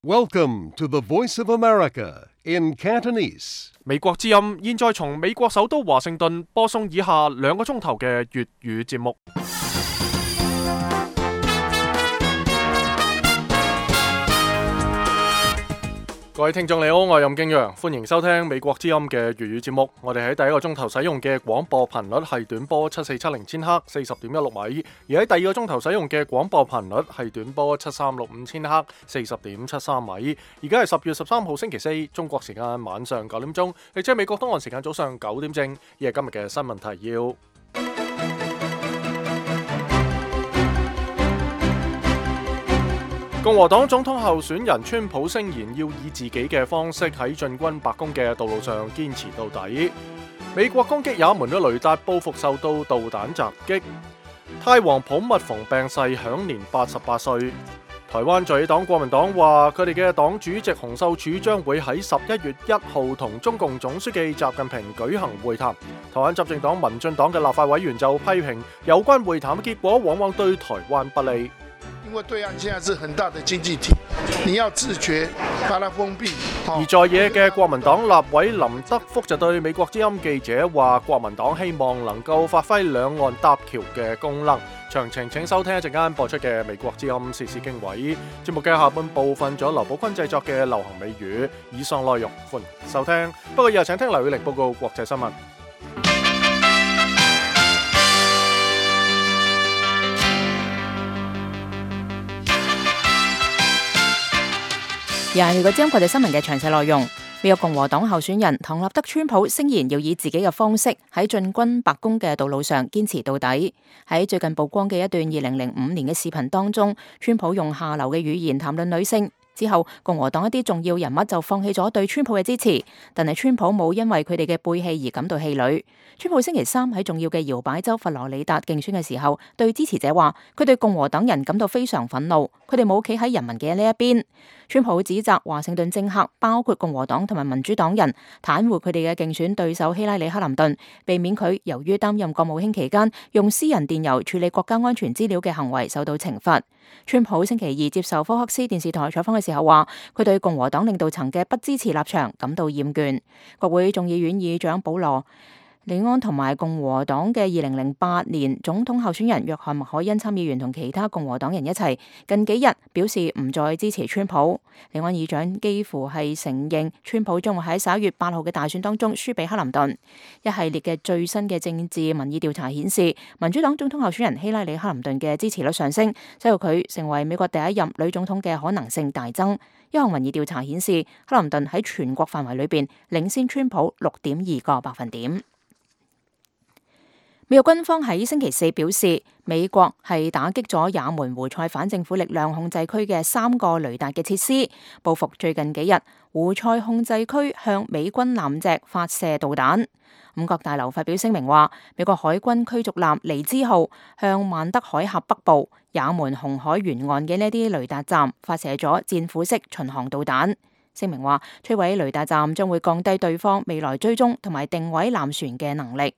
Welcome to the Voice of America in Cantonese. 美國之音現在從美國首都華盛頓播送以下2個鐘頭嘅粵語節目。各位聽眾你好，我係任敬陽，歡迎收聽美國之音嘅粵語節目。我哋喺第一個鐘頭使用嘅廣播頻率係短波7470千赫40.16米，而喺第二個鐘頭使用嘅廣播頻率係短波7365千赫40.73米。而家係10月13號星期四，中國時間晚上9點鐘，亦即係美國東岸時間早上9點正。以係今日嘅新聞提要。共和黨總統候選人川普聲言要以自己嘅方式喺進軍白宮嘅道路上堅持到底。美國攻擊也門嘅雷達報復受到導彈襲擊。泰王普密蓬病逝，享年88歲。台灣在野黨國民黨話，佢哋嘅黨主席洪秀柱將會喺11月1號同中共總書記習近平舉行會談。台灣執政黨民進黨嘅立法委員就批評有關會談嘅結果往往對台灣不利。因為對岸現在是很大的經濟體，你要自覺把它封閉。而在野嘅國民黨立委林德福就對美國之音記者話，國民黨希望能夠發揮兩岸搭橋嘅功能。詳情請收聽一陣間播出嘅美國之音時事經緯節目嘅下半部分，咗劉寶坤製作嘅流行美語。以上內容歡迎收聽，不過以後請聽劉宇玲報告國際新聞。又係美國之音國際新聞嘅詳細內容。美國共和黨候選人唐納德川普聲言要以自己嘅方式喺進軍白宮嘅道路上堅持到底。喺最近曝光嘅一段2005年嘅視頻當中，川普用下流嘅語言談論女性。之後，共和黨一啲重要人物就放棄咗對川普嘅支持，但係川普冇因為佢哋嘅背棄而感到氣餒。川普星期三喺重要嘅搖擺州佛羅里達競選嘅時候，對支持者話，佢對共和黨人感到非常憤怒，佢哋冇企喺人民嘅呢一邊。川普指責華盛頓政客，包括共和黨同埋民主黨人，袒護佢哋嘅競選對手希拉里克林頓，避免佢由於擔任國務卿期間用私人電郵處理國家安全資料嘅行為受到懲罰。川普星期二接受福克斯電視台採訪嘅時候話，佢對共和黨領導層嘅不支持立場感到厭倦。國會眾議院議長保羅李安同埋共和黨嘅2008年總統候選人約翰麥凱恩參議員同其他共和黨人一齊，近幾日表示唔再支持川普。李安議長幾乎係承認川普將會喺11月8號嘅大選當中輸俾克林頓。一系列嘅最新嘅政治民意調查顯示，民主黨總統候選人希拉里克林頓嘅支持率上升，使到佢成為美國第一任女總統嘅可能性大增。一項民意調查顯示，克林頓喺全國範圍裏邊領先川普6.2個百分點。美國軍方喺星期四表示，美國係打擊咗也門胡塞反政府力量控制區嘅3個雷達嘅設施，報復最近幾日胡塞控制區向美軍艦隻發射導彈。五角大樓發表聲明話，美國海軍驅逐艦尼茲號向曼德海峽北部也門紅海沿岸嘅呢啲雷達站發射咗戰斧式巡航導彈。聲明話，摧毀雷達站將會降低對方未來追蹤同埋定位艦船嘅能力。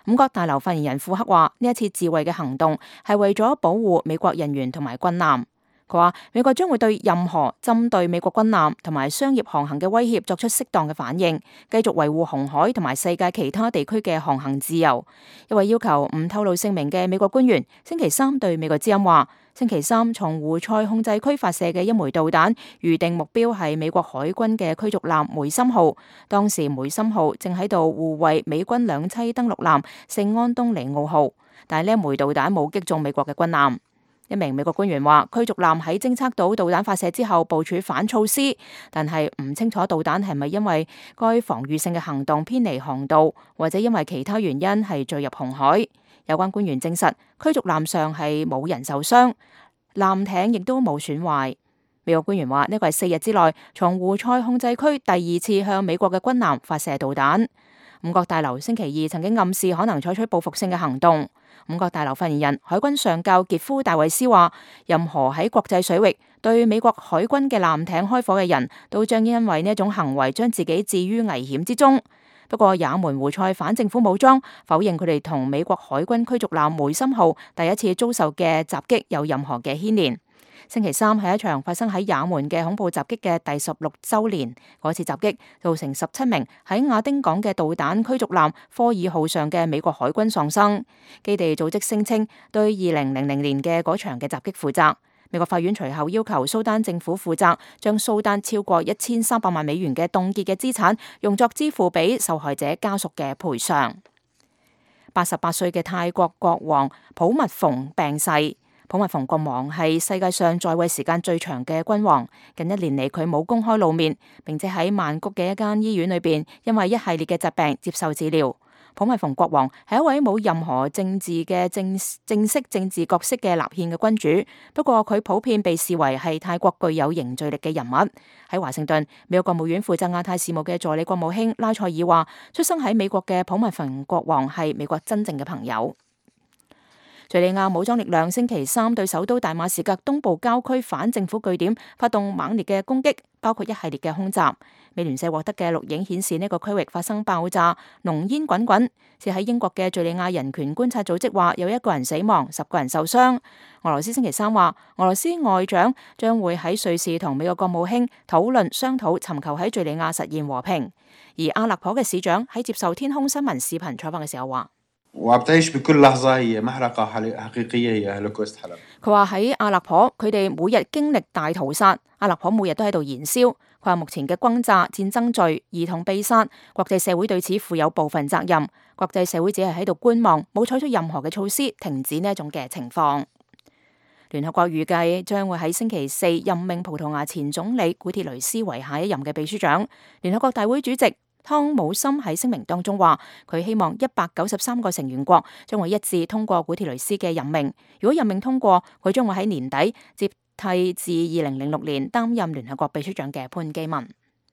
五角大樓發言人庫克話，呢一次自衛嘅行動係為咗保護美國人員同埋軍艦。佢話，美國將會對任何針對美國軍艦同埋商業航行嘅威脅作出適當嘅反應，繼續維護紅海同埋世界其他地區嘅航行自由。一位要求唔透露姓名嘅美國官員星期三對美國之音話，星期三從胡塞控制區發射嘅一枚導彈，預定目標係美國海軍嘅驅逐艦梅森號。當時梅森號正喺度護衛美軍兩棲登陸艦聖安東尼奧號，但係呢一枚導彈冇擊中美國嘅軍艦。一名美國官員話，驅逐艦喺偵測到導彈發射之後部署反措施，但係唔清楚導彈係咪因為該防禦性嘅行動偏離航道，或者因為其他原因係墜入紅海。有關官員證實，驅逐艦上係冇人受傷，艦艇亦都冇損壞。美國官員話，呢個係4日之內從胡塞控制區第2次向美國嘅軍艦發射導彈。五角大樓星期二曾經暗示可能採取報復性嘅行動。五角大樓發言人海軍上校傑夫戴維斯話，任何喺國際水域對美國海軍嘅艦艇開火嘅人都將因為呢一種行為將自己置於危險之中。不過也門胡塞反政府武裝否認佢哋同美國海軍驅逐艦梅森號第一次遭受嘅襲擊有任何嘅牽連。星期三係一場發生喺也門嘅恐怖襲擊嘅第16週年。嗰次襲擊造成17名喺亞丁港嘅導彈驅逐艦科爾號上嘅美國海軍喪生。基地組織聲稱對2000年嘅嗰場嘅襲擊負責。美國法院隨後要求蘇丹政府負責，將蘇丹超過1300萬美元嘅凍結嘅資產用作支付俾受害者家屬嘅賠償。88歲嘅泰國國王普密蓬病逝。普密蓬國王係世界上在位時間最長嘅君王。近1年嚟，佢冇公開露面，並且喺曼谷嘅一間醫院裏邊，因為一系列嘅疾病接受治療。普密蓬國王係一位冇任何正式政治角色嘅立憲嘅君主，不過佢普遍被視為係泰國具有凝聚力嘅人物。喺華盛頓，美國國務院負責亞太事務嘅助理國務卿拉塞爾話，出生喺美國嘅普密蓬國王係美國真正嘅朋友。敘利亞武裝力量星期三對首都大馬士革東部郊區反政府據點發動猛烈嘅攻擊，包括一系列嘅空襲。美聯社獲得嘅錄影顯示，呢個區域發生爆炸，濃煙滾滾。是喺英國嘅敘利亞人權觀察組織話，有1個人死亡，10個人受傷。俄羅斯星期三話，俄羅斯外長將會喺瑞士同美國國務卿商討尋求喺敘利亞實現和平。而阿勒頗嘅市長喺接受天空新聞視頻採訪嘅時候話，佢話喺阿勒頗，佢哋每日經歷大屠殺，阿勒頗每日都喺度燃燒。佢話目前嘅轟炸、戰爭罪、兒童被殺，國際社會對此負有部分責任。國際社會只係喺度觀望，冇採取任何嘅措施停止呢一種嘅情況。聯合國預計將會喺星期4任命葡萄牙前總理古鐵雷斯為下一任嘅秘書長。聯合國大會主席湯姆森喺聲明當中話，佢希望193個成員國將會一致通過古鐵雷斯嘅任命。如果任命通過，佢將會喺年底接替自2006年擔任聯合國秘書長嘅潘基文。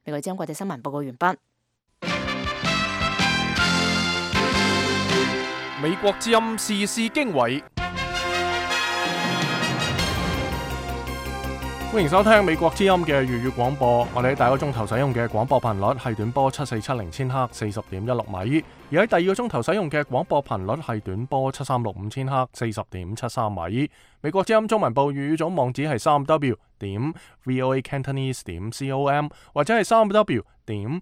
美國之音國際新聞報告完畢。美國之音時事經緯，歡迎收聽美國之音嘅粵語廣播。我哋喺第一個鐘頭使用嘅廣播頻率係短波7470千赫40.16米，而喺第二個鐘頭使用嘅廣播頻率係短波7365千赫40.73米。美國之音中文部粵語組網址係3w.voacantonese.com 或者係3w.voagd.com。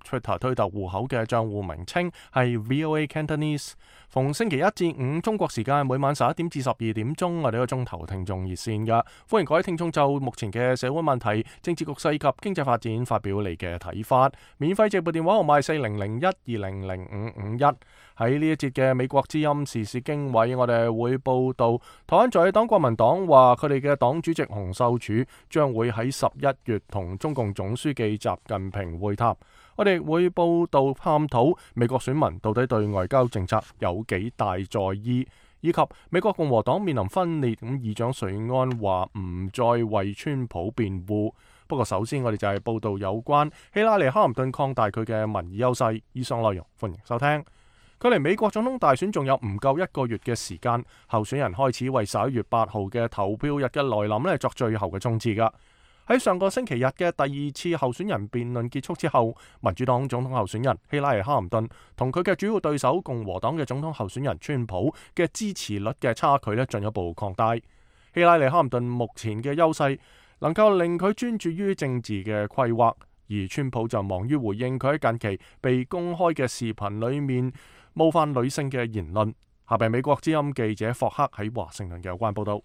Twitter 推特戶口嘅賬戶名稱係 VOA Cantonese。逢星期一至五中國時間每晚11點至12點鐘，我哋一個鐘頭聽眾熱線㗎，歡迎各位聽眾就目前嘅社會問題、政治局勢及經濟發展發表你嘅睇法。免費直撥電話號碼4001200551。喺呢一節嘅美國之音時事經緯，我哋會報道台灣在野黨國民黨話佢哋嘅黨主席洪秀柱將會喺11月同中共總書記習近平會談。我哋會報道探討美國選民到底對外交政策有幾大在意，以及美國共和黨面臨分裂，議長瑞安話唔再為川普辯護。不過首先我哋就係報道有關希拉里·克林頓擴大佢嘅民意優勢。以上內容歡迎收聽。距離美國總統大選仲有唔夠1個月嘅時間，候選人開始為11月8號嘅投票日嘅來臨作最後嘅衝刺㗎。喺上個星期日嘅第2次候選人辯論結束之後，民主黨總統候選人希拉里·克林頓同佢嘅主要對手共和黨嘅總統候選人川普嘅支持率嘅差距進一步擴大。希拉里·克林頓目前嘅優勢能夠令佢專注於政治嘅規劃，而川普就忙於回應佢喺近期被公開嘅視頻裏面冒犯女性嘅言論。下邊美國之音記者霍克喺華盛頓嘅有關報道。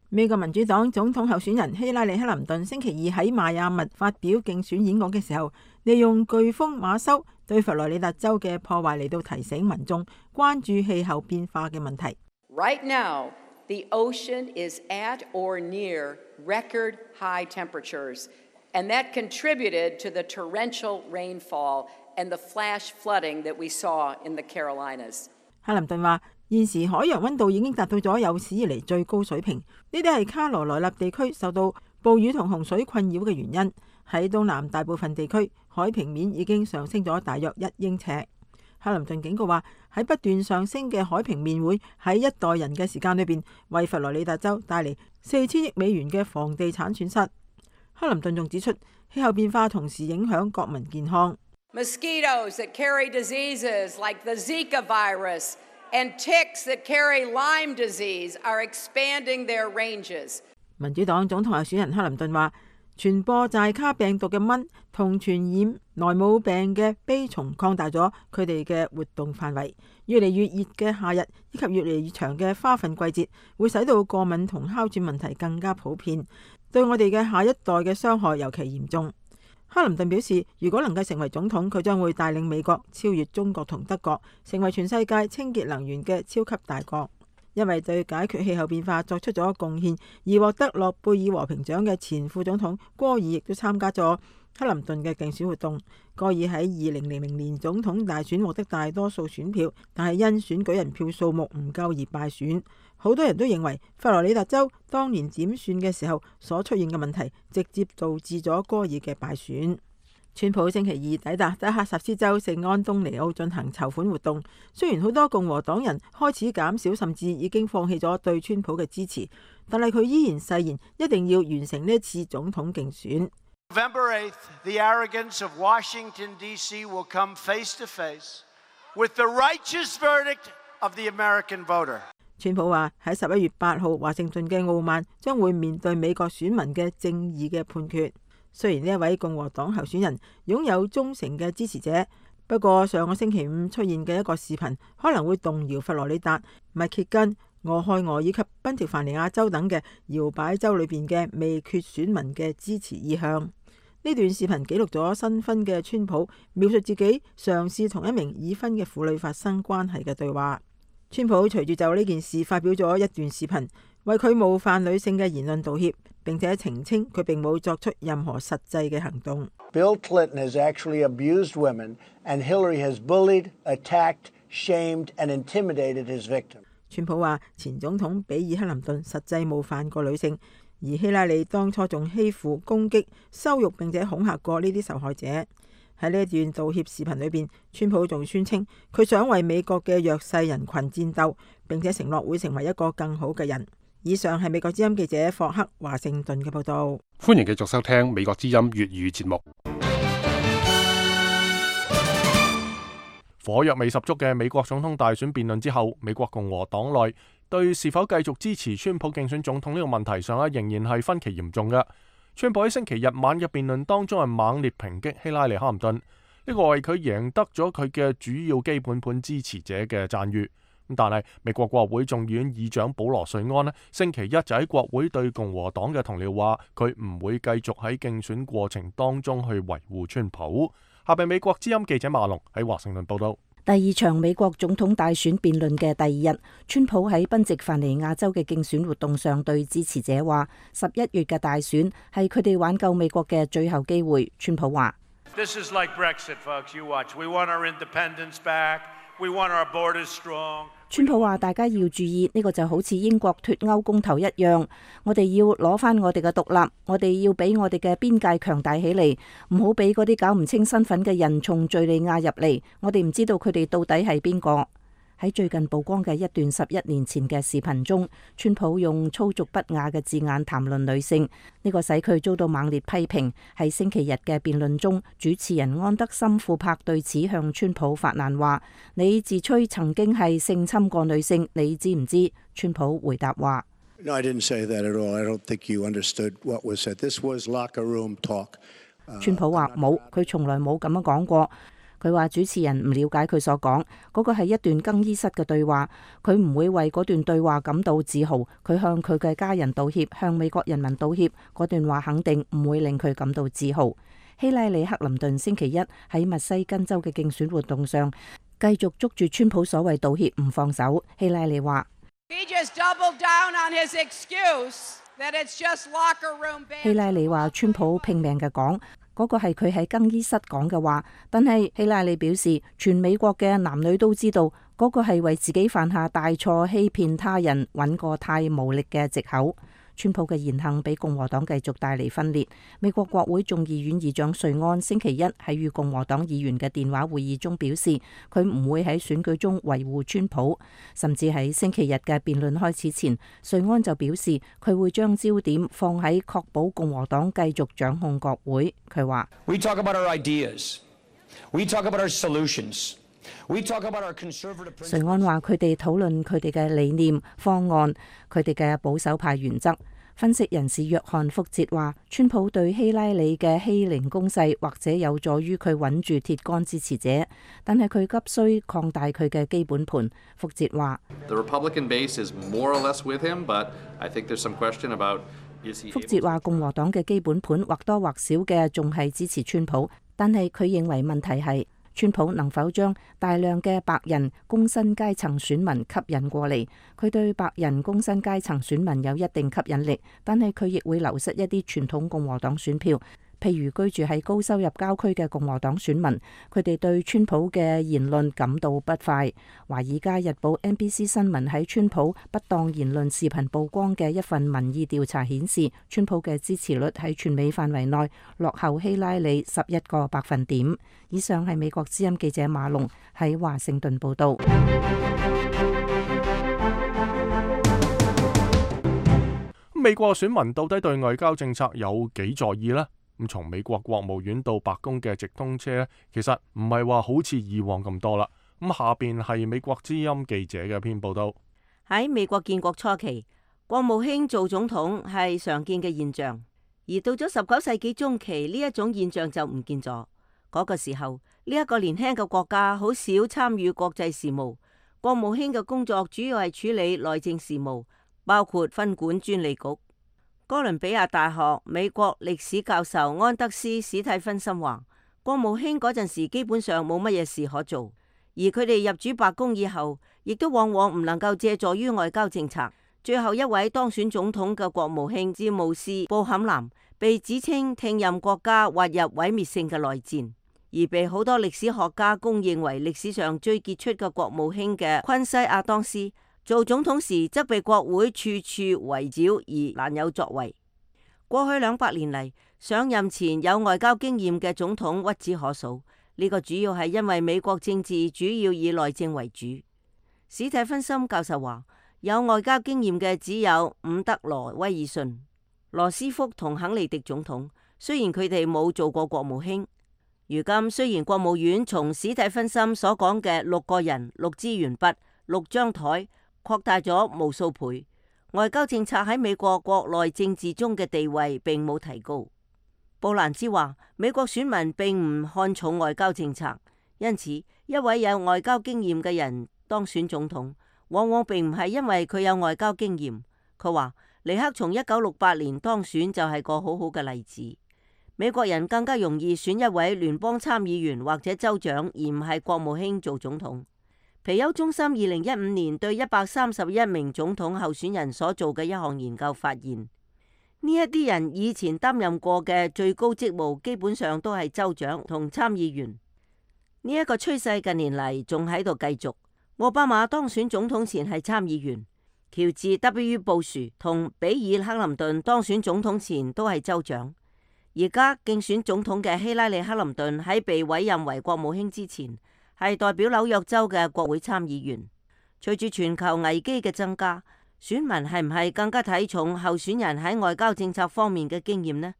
美國民主黨總統候選人希拉里·克林頓星期二喺邁阿密發表競選演講嘅時候，利用颶風馬修對佛羅里達州嘅破壞嚟到提醒民眾關注氣候變化嘅問題。Right now, the ocean is at or near record high temperatures, and that contributed to the torrential rainfall and the flash flooding that we saw in the Carolinas. 克林頓話，現時海洋溫度已經達到咗有史以嚟最高水平，呢啲係卡羅來納地區受到暴雨同洪水困擾嘅原因。喺東南大部分地區，海平面已經上升咗大約1英尺。克林頓警告話，喺不斷上升嘅海平面會喺一代人嘅時間裏邊，為佛羅里達州帶嚟4000億美元嘅房地產損失。克林頓仲指出，氣候變化同時影響國民健康。Mosquitoes that carry diseases like the Zika virus and ticks that carry Lyme disease are expanding their ranges. 民主黨總統候選人克林頓話，傳播寨卡病毒嘅蚊同傳染萊姆病嘅蜱蟲擴大咗佢哋嘅活動範圍。越嚟越熱嘅夏日以及越嚟越長嘅花粉季節，會使到過敏同哮喘問題更加普遍，對我哋嘅下一代嘅傷害尤其嚴重。克林頓表示，如果能夠成為總統，佢將會帶領美國超越中國同德國，成為全世界清潔能源嘅超級大國。因為對解決氣候變化作出咗貢獻而獲得諾貝爾和平獎嘅前副總統戈爾亦都參加咗克林頓嘅競選活動。戈爾喺2000年總統大選獲得大多數選票，但係因選舉人票數目唔夠而敗選。好多人都認為佛羅里達州當年點選嘅時候所出現嘅問題，直接導致咗戈爾嘅敗選。川普星期二抵達德克薩斯州聖安東尼奧進行籌款活動。雖然好多共和黨人開始減少甚至已經放棄咗對川普嘅支持，但係佢依然誓言一定要完成呢一次總統競選。November 8th, the arrogance of Washington, D.C. will come face to face with the righteous verdict of the American voter. 川普話喺11月8號，華盛頓嘅傲慢將會面對美國選民嘅正義嘅判決。雖然呢一位共和黨候選人擁有忠誠嘅支持者，不過上個星期五出現嘅一個視頻可能會動搖佛羅里達、密歇根、俄亥俄以及賓夕凡尼亞州等嘅搖擺州裏邊嘅未決選民嘅支持意向。呢段視頻記錄咗新婚嘅川普描述自己嘗試同一名已婚嘅婦女發生關係嘅對話。川普隨住就呢件事發表咗一段視頻，為佢冒犯女性嘅言論道歉，並且澄清佢並冇作出任何實際嘅行動。Bill Clinton has actually abused women, and Hillary has bullied, attacked, shamed, and intimidated his victim. 川普話前總統比爾克林頓實際冒犯過女性，而希拉里當初仲欺負、攻擊、羞辱並且恐嚇過呢啲受害者。喺呢一段道歉視頻裏邊，川普仲宣稱佢想為美國嘅弱勢人群戰鬥，並且承諾會成為一個更好嘅人。以上係美國之音記者霍克華盛頓嘅報道。歡迎繼續收聽美國之音粵語節目。火藥味十足嘅美國總統大選辯論之後，美國共和黨內對是否繼續支持川普競選總統呢個問題上仍然係分歧嚴重嘅。川普喺星期日晚嘅辯論當中係猛烈抨擊希拉里克林頓，呢個為佢贏得咗佢嘅主要基本盤支持者嘅讚譽。但係美國國會眾議院議長保羅瑞安星期一就喺國會對共和黨嘅同僚話，佢唔會繼續喺競選過程當中去維護川普。下邊美國之音記者馬龍喺華盛頓報道。第二場美國總統大選辯論嘅第二日，川普喺賓夕凡尼亞州嘅競選活動上對支持者話，11月嘅大選係佢哋挽救美國嘅最後機會。川普話：This is like Brexit, folks. You watch. We want our independence back. We want our borders strong. 川普話：大家要注意，呢個就好似英國脫歐公投一樣，我哋要攞翻我哋嘅獨立，我哋要俾我哋嘅邊界強大起嚟，唔好俾嗰啲搞唔清身份嘅人從敘利亞入嚟，我哋唔知道佢哋到底係邊個。喺最近曝光嘅一段11年前嘅視頻中，川普用粗俗不雅嘅字眼談論女性，呢個使佢遭到猛烈批評。喺星期日嘅辯論中，主持人安德森庫柏對此向川普發難話：你自吹曾經係性侵過女性，你知唔知？川普回答話：No, I didn't say that at all. I don't think you understood what was said. This was locker room talk. 川普話冇，佢從來冇咁樣講過。佢話主持人唔了解佢所講，嗰個係一段更衣室嘅對話，佢唔會為嗰段對話感到自豪，佢向佢嘅家人道歉，向美國人民道歉，嗰段話肯定唔會令佢感到自豪。希拉里克林頓星期一喺密西根州嘅競選活動上，繼續捉住川普所謂道歉唔放手。希拉里話：希拉里話川普拼命嘅講。嗰個係佢喺更衣室講嘅話，但係希拉里表示，全美國嘅男女都知道，嗰個係為自己犯下大錯、欺騙他人、揾個太無力嘅藉口。川普嘅言行俾共和黨繼續帶嚟分裂。美國國會眾議院議長瑞安星期一喺與共和黨議員嘅電話會議中表示，佢唔會喺選舉中維護川普，甚至喺星期日嘅辯論開始前，瑞安就表示佢會將焦點放喺確保共和黨繼續掌控國會。佢話： We talk about our ideas. We talk about our solutions. 瑞安話佢哋討論佢哋嘅理念、方案、佢哋嘅保守派原則。分析人士約翰福哲話，川普對希拉里嘅欺凌攻勢或者有助於佢穩住鐵桿支持者，但係佢急需擴大佢嘅基本盤。福哲話，福哲話共和黨嘅基本盤或多或少嘅仲係支持川普，但係佢認為問題係川普能否將大量嘅白人工薪階層選民吸引過嚟。佢對白人工薪階層選民有一定吸引力，但係佢亦會流失一啲傳統共和黨選票，譬如居住喺高收入郊區嘅共和黨選民，佢哋對川普嘅言論感到不快。華爾街日報 NBC 新聞喺川普不當言論視頻曝光嘅一份民意調查顯示，川普嘅支持率喺全美範圍內落後希拉里11個百分點。以上係美國之音記者馬龍喺華盛頓報道。美國選民到底對外交政策有幾在意呢？咁從美國國務院到白宮嘅直通車，其實唔係話好似以往咁多啦。咁下邊係美國之音記者嘅篇報道。喺美國建國初期，國務卿做總統係常見嘅現象，而到咗19世紀中期，呢一種現象就唔見咗。嗰個時候，呢一個年輕嘅國家好少參與國際事務，國務卿嘅工作主要係處理內政事務，包括分管專利局。哥倫比亞大學美國歷史教授安德斯史蒂芬森話，國務卿嗰陣時基本上冇乜嘢事可做，而佢哋入主白宮以後，亦都往往唔能夠借助於外交政策。最後一位當選總統嘅國務卿詹姆斯布坎南被指稱聽任國家滑入毀滅性嘅內戰，而被好多歷史學家公認為歷史上最傑出嘅國務卿嘅昆西亞當斯，做總統時則被國會處處圍剿而難有作為。過去200年嚟，上任前有外交經驗嘅總統屈指可數，呢個主要係因為美國政治主要以內政為主。史蒂芬森教授話，有外交經驗嘅只有伍德羅威爾遜、羅斯福同肯尼迪總統，雖然佢哋冇做過國務卿。如今雖然國務院從史蒂芬森所講嘅6個人、6支鉛筆、6張台擴大咗無數倍，外交政策喺美國國內政治中嘅地位並冇提高。布蘭茲話，美國選民並唔看重外交政策，因此一位有外交經驗嘅人當選總統，往往並唔係因為佢有外交經驗。佢話尼克從1968年當選就係個好好嘅例子。美國人更加容易選一位聯邦參議員或者州長，而唔係國務卿做總統。皮尤中心2015年對131名總統候選人所做嘅一項研究發現，呢一啲人以前擔任過嘅最高職務基本上都係州長同參議員。呢一個趨勢近年嚟仲喺度繼續。奧巴馬當選總統前係參議員，喬治 W. 布殊同比爾克林頓當選總統前都係州長。而家競選總統嘅希拉里克林頓喺被委任為國務卿之前，係代表紐約州嘅國會參議員。隨住全球危機嘅增加，選民係唔係更加睇重候選人喺外交政策方面嘅經驗呢？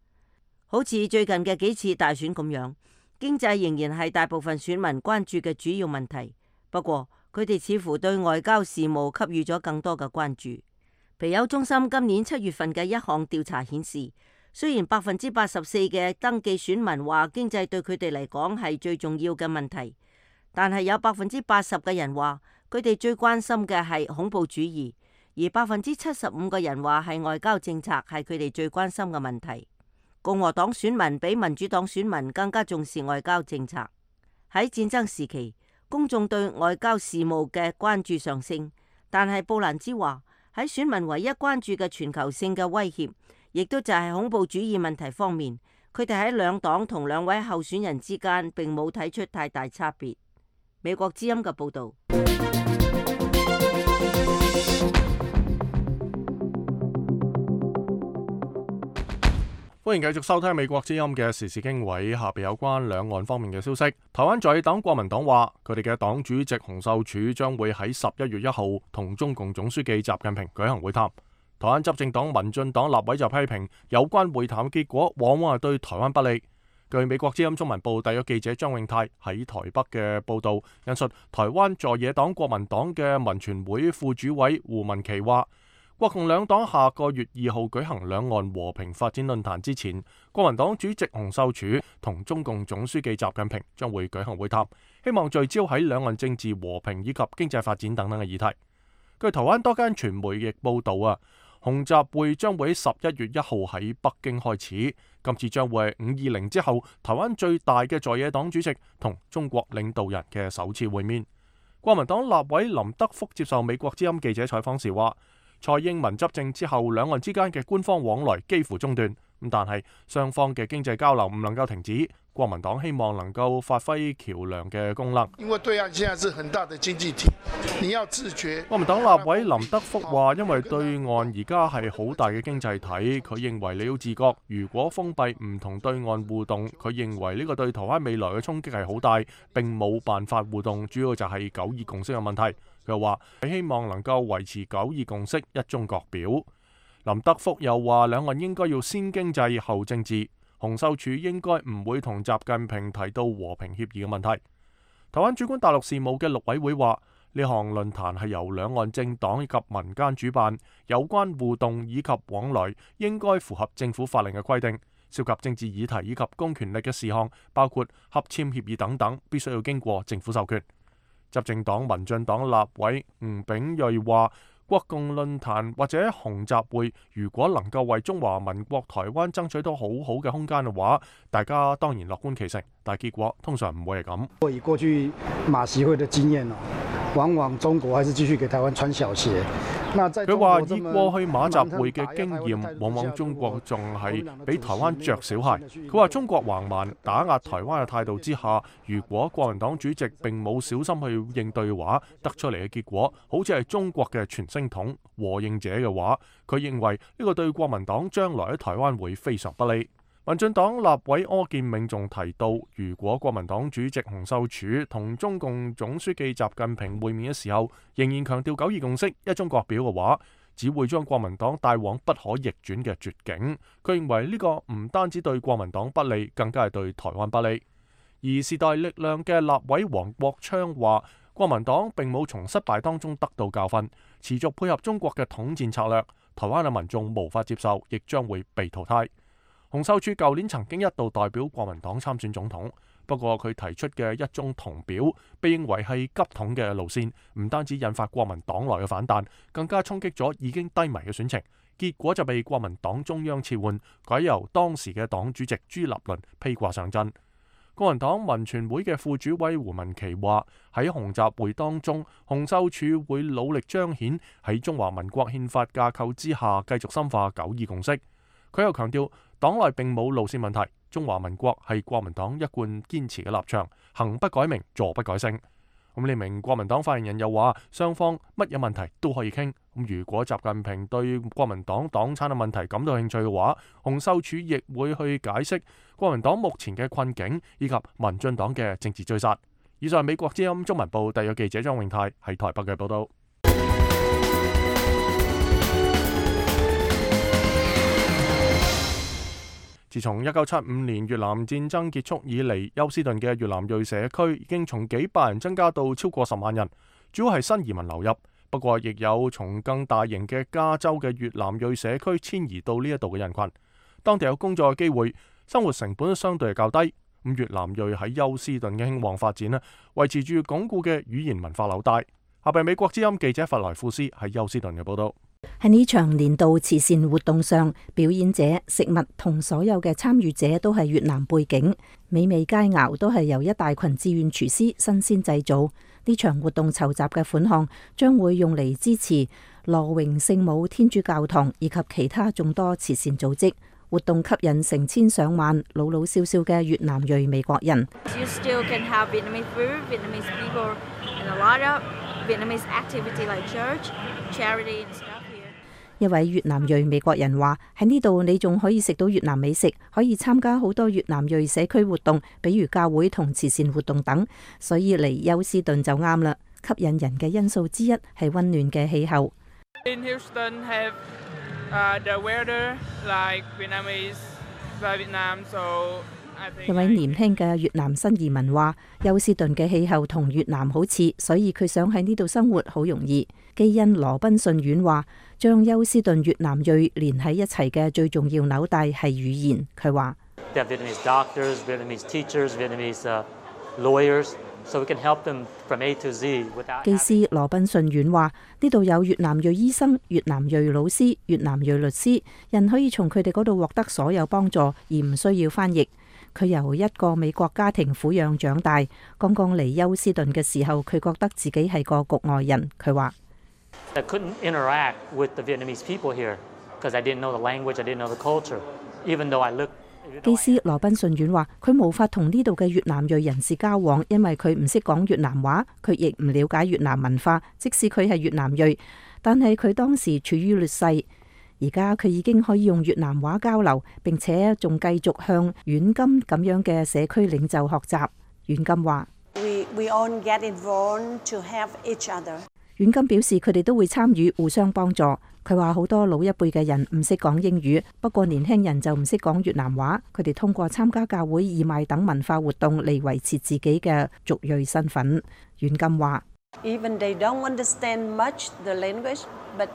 好似最近嘅幾次大選咁樣，經濟仍然係大部分選民關注嘅主要問題。不過佢哋似乎對外交事務給予咗更多嘅關注。皮尤中心今年7月份嘅一項調查顯示，雖然84%嘅登記選民話經濟對佢哋嚟講係最重要嘅問題，但係有80%嘅人話佢哋最關心嘅係恐怖主義，而75%嘅人話係外交政策係佢哋最關心嘅問題。共和黨選民比民主黨選民更加重視外交政策。喺戰爭時期，公眾對外交事務嘅關注上升，但係布蘭茲話喺選民唯一關注嘅全球性嘅威脅，亦都就係恐怖主義問題方面，佢哋喺兩黨同兩位候選人之間並冇睇出太大差別。美國之音嘅報導。歡迎繼續收聽美國之音嘅時事經緯，下邊有關兩岸方面嘅消息。台灣在黨國民黨話，佢哋嘅黨主席洪秀柱將會喺11月1號同中共總書記習近平舉行會談。台灣執政黨民進黨立委就批評有關會談結果往往係對台灣不利。據美國之音中文部特約記者張永泰喺台北嘅報導，引述台灣在野黨國民黨嘅民權會副主委胡文琪話，國共兩黨下個月2號舉行兩岸和平發展論壇之前，國民黨主席洪秀柱同中共總書記習近平將會舉行會談，希望聚焦喺兩岸政治和平以及經濟發展等等嘅議題。據台灣多間傳媒亦報導洪習會將會喺11月1號喺北京開始，今次將會係520之後台灣最大嘅在野黨主席同中國領導人嘅首次會面。國民黨立委林德福接受美國之音記者採訪時話，蔡英文執政之後，兩岸之間嘅官方往來幾乎中斷，但係雙方嘅經濟交流唔能夠停止。國民黨希望能夠發揮橋梁嘅功能。因為對岸現在是很大的經濟體，你要自覺。國民黨立委林德福話，因為對岸而家係好大嘅經濟體，佢認為你要自覺。如果封閉唔同對岸互動，佢認為呢個對台灣未來嘅衝擊係好大，並冇辦法互動，主要就係9·2共識嘅問題。佢話佢希望能夠維持9·2共識一中各表。林德福又話，兩岸應該要先經濟後政治。洪秀柱應該唔會同習近平提到和平協議嘅問題。台灣主管大陸事務嘅陸委會話，呢項論壇係由兩岸政黨以及民間主辦，有關互動以及往來應該符合政府法令嘅規定，涉及政治議題以及公權力嘅事項，包括洽簽協議等等，必須要經過政府授權。執政黨民進黨立委吳秉叡話，國共論壇或者洪習會，如果能夠為中華民國台灣爭取到好好嘅空間嘅話，大家當然樂觀其成，但係結果通常唔會係咁。以過去馬習會嘅經驗往往中國還是繼續給台灣穿小鞋。佢話以過去馬習會嘅經驗，往往中國仲係俾台灣着小鞋。佢話中國橫蠻打壓台灣嘅態度之下，如果國民黨主席並冇小心去應對嘅話，得出嚟嘅結果好似係中國嘅傳聲筒和應者嘅話，佢認為呢個對國民黨將來喺台灣會非常不利。民進黨立委柯建銘仲提到，如果國民黨主席洪秀柱同中共總書記習近平會面嘅時候，仍然強調9·2共識一中各表嘅話，只會將國民黨帶往不可逆轉嘅絕境。佢認為呢個唔單止對國民黨不利，更加係對台灣不利。而時代力量嘅立委黃國昌話，國民黨並冇從失敗當中得到教訓，持續配合中國嘅統戰策略，台灣嘅民眾無法接受，亦將會被淘汰。洪秀柱舊年曾經一度代表國民黨參選總統，不過佢提出嘅一中同表被認為係急統嘅路線，唔單止引發國民黨內嘅反彈，更加衝擊咗已經低迷嘅選情，結果就被國民黨中央撤換，改由當時嘅黨主席朱立倫披掛上陣。國民黨民權會嘅副主委胡文琪話，喺洪習會當中，洪秀柱會努力彰顯喺中華民國憲法架構之下繼續深化9·2共識。佢又強調，黨內並冇路線問題，中華民國係國民黨一貫堅持嘅立場，行不改名，坐不改姓。呢名國民黨發言人又話，雙方乜嘢問題都可以傾。如果習近平對國民黨黨產嘅問題感到興趣嘅話，洪秀柱亦會去解釋國民黨目前嘅困境以及民進黨嘅政治追殺。以上係美國之音中文部特約記者張永泰喺台北嘅報道。自從1975年越南戰爭結束以嚟，休斯頓嘅越南裔社區已經從幾百人增加到超過10萬人，主要係新移民流入。不過，亦有從更大型嘅加州嘅越南裔社區遷移到呢一度嘅人群。當地有工作嘅機會，生活成本相對係較低。越南裔喺休斯頓嘅興旺發展維持住鞏固嘅語言文化紐帶。下邊美國之音記者弗萊庫斯喺休斯頓嘅報道。喺呢場年度慈善活動上，表演者、食物同所有嘅參與者都係越南背景，美味佳肴都係由一大群志願廚師新鮮製造。呢場活動籌集嘅款項將會用嚟支持羅榮聖母天主教堂以及其他眾多慈善組織。活動吸引成千上萬老老少少嘅越南裔美國人。一位越南裔美國人話：喺呢度你仲可以食到越南美食，可以參加好多越南裔社區活動，比如教會同慈善活動等，所以嚟休斯頓就啱啦。吸引人嘅因素之一係溫暖嘅氣候。In Houston have the weather like Vietnamese by Vietnam, so 一位年輕嘅越南新移民話，休斯頓嘅氣候同越南好似，所以佢想喺呢度生活好容易。基恩羅賓遜院話，將休斯頓越南裔連喺一齊嘅最重要紐帶係語言。佢話Vietnamese doctors, Vietnamese teachers, Vietnamese lawyers, so we can help them from A to Z without. 基斯羅賓遜院話，呢度有越南裔醫生、越南裔老師、越南裔律師，人可以從佢哋嗰度獲得所有幫助，而唔需要翻譯。佢由一個美國家庭撫養長大，剛剛嚟休斯頓嘅時候，佢覺得自己係個局外人。佢話I couldn't interact with the Vietnamese people here because I didn't know the language, I didn't know the culture, even though I looked. 基斯羅賓遜院話，佢無法同呢度嘅越南裔人士交往，因為佢唔識講越南話，佢亦唔了解越南文化，即使佢係越南裔，但係佢當時處於劣勢。而家佢已經可以用越南話交流，並且仲繼續向阮金咁樣嘅社區領袖學習。阮金話阮金表示佢哋都會參與，互相幫助。佢話好多老一輩嘅人唔識講英語，不過年輕人就唔識講越南話。佢哋通過參加教會、義賣等文化活動嚟維持自己嘅族裔身份。阮金話Even they don't understand much the language, but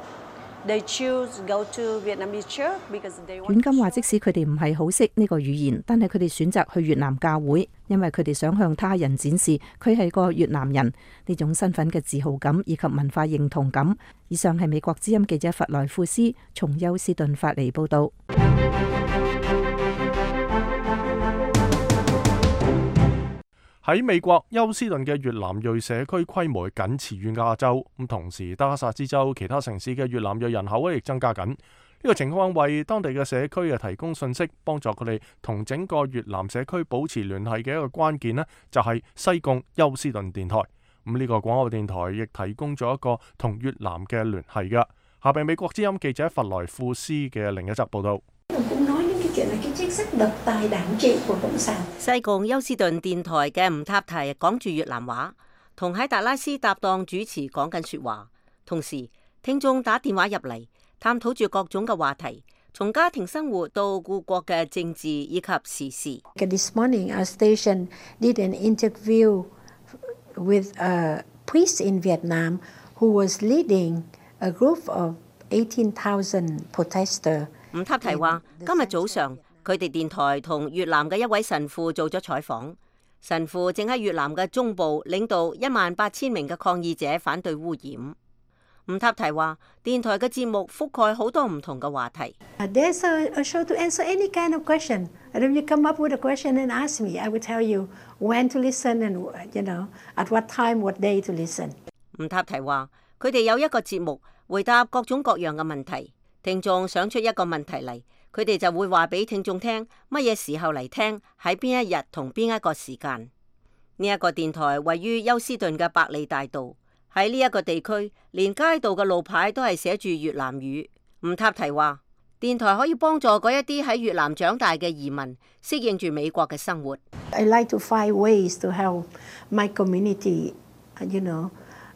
they choose go to Vietnamese church because they want. 阮金話，即使佢哋唔係好識呢個語言，但係佢哋選擇去越南教會，因為佢哋想向他人展示佢係個越南人呢種身份嘅自豪感以及文化認同感。以上係美國之音記者弗萊庫斯從休斯頓發嚟報導。喺美國，休斯頓嘅越南裔社區規模僅次於亞洲，咁同時德克薩斯州其他城市嘅越南裔人口亦增加緊。呢個情況為當地嘅社區提供信息，幫助佢哋同整個越南社區保持聯繫嘅一個關鍵呢，就係西貢休斯頓電台。咁呢個廣播電台亦提供咗一個同越南嘅聯繫㗎。下邊美國之音記者弗萊庫斯嘅另一則報導。西貢休斯頓電台嘅吳塔提講住越南話，同喺達拉斯搭檔主持講緊說話，同時聽眾打電話入嚟，探討住各種嘅話題，從家庭生活到故國嘅政治以及時事。This morning, our station did an interview with a priest in Vietnam who was leading a group of 18,000 protesters. 吳塔提話：今日早上佢哋電台同越南嘅一位神父做咗採訪，神父正喺越南嘅中部領導18000名嘅抗議者反對污染。吳塔提話：電台嘅節目覆蓋好多唔同嘅話題。There's a show to answer any kind of question. And if you come up with a question and ask me, I will tell you when to listen and at what time, what day to listen. 吳塔提話：佢哋有一個節目回答各種各樣嘅問題。聽眾想出一個問題嚟，佢哋就會話俾聽眾聽乜嘢時候嚟聽，喺邊一日同邊一個時間。呢一個電台位於休斯頓嘅百利大道，喺呢一個地區，連街道嘅路牌都係寫住越南語。吳塔提話，電台可以幫助嗰一啲喺越南長大嘅移民適應住美國嘅生活。I like to find ways to help my community,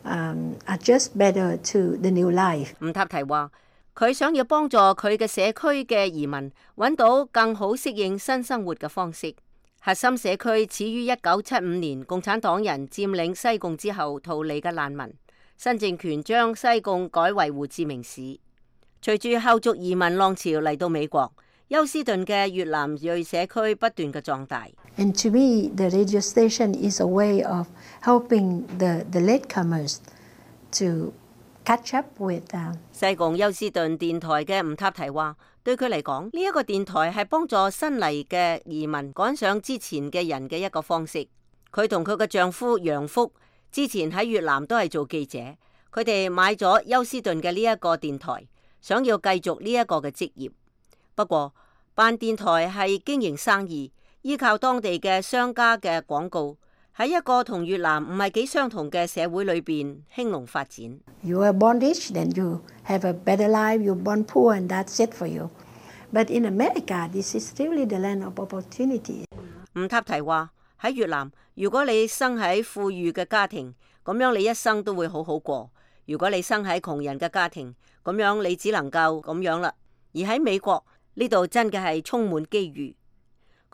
adjust better to the new life. 吳塔提話，佢想要幫助佢嘅社區嘅移民揾到更好適應新生活嘅方式。核心社區始於1975年共產黨人佔領西貢之後逃離嘅難民，新政權將西貢改為胡志明市。隨住後續移民浪潮嚟到美國，休斯頓嘅越南裔社區不斷嘅壯大。And to me, the radio station is a way of helping the latecomers to catch up with them. 西貢休斯頓電台嘅吳塔提話，對佢嚟講，呢一個電台係幫助新嚟嘅移民趕上之前嘅人嘅一個方式。佢同佢嘅丈夫楊福之前喺越南都係做記者，佢哋買咗休斯頓嘅呢一個電台，想要繼續呢一個嘅職業。不過辦電台係經營生意，依靠當地嘅商家嘅廣告，喺一個同越南唔係幾相同嘅社會裏邊興隆發展。You are born rich, then you have a better life. You're born poor, and that's it for you. But in America, this is really the land of opportunity. 吳塔提話：喺越南，如果你生喺富裕嘅家庭，咁樣你一生都會好好過；如果你生喺窮人嘅家庭，咁樣你只能夠咁樣啦。而喺美國呢度真嘅係充滿機遇。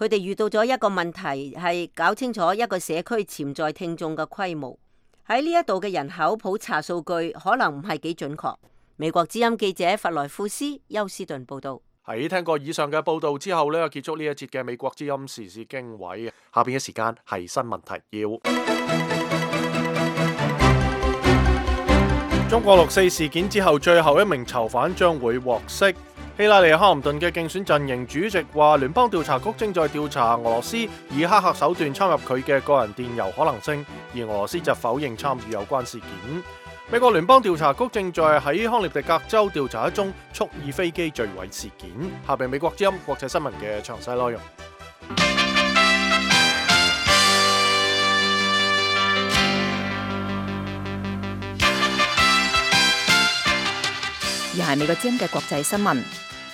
佢哋遇到咗一個問題，係搞清楚一個社區潛在聽眾嘅規模。喺呢一度嘅人口普查數據可能唔係幾準確。美國之音記者弗萊庫斯休斯頓報道。喺聽過以上嘅報道之後呢，結束呢一節嘅美國之音時事經緯。下邊嘅時間係新聞提要。中國6·4事件之後，最後一名囚犯將會獲釋。希拉里·克林頓嘅競選陣營主席話，聯邦調查局正在調查俄羅斯以黑客手段侵入佢嘅個人電郵可能性，而俄羅斯就否認參與有關事件。美國聯邦調查局正在喺康涅狄格州調查一宗蓄意飛機墜毀事件。下邊美國之音國際新聞嘅詳細內容。而係美國之音嘅國際新聞。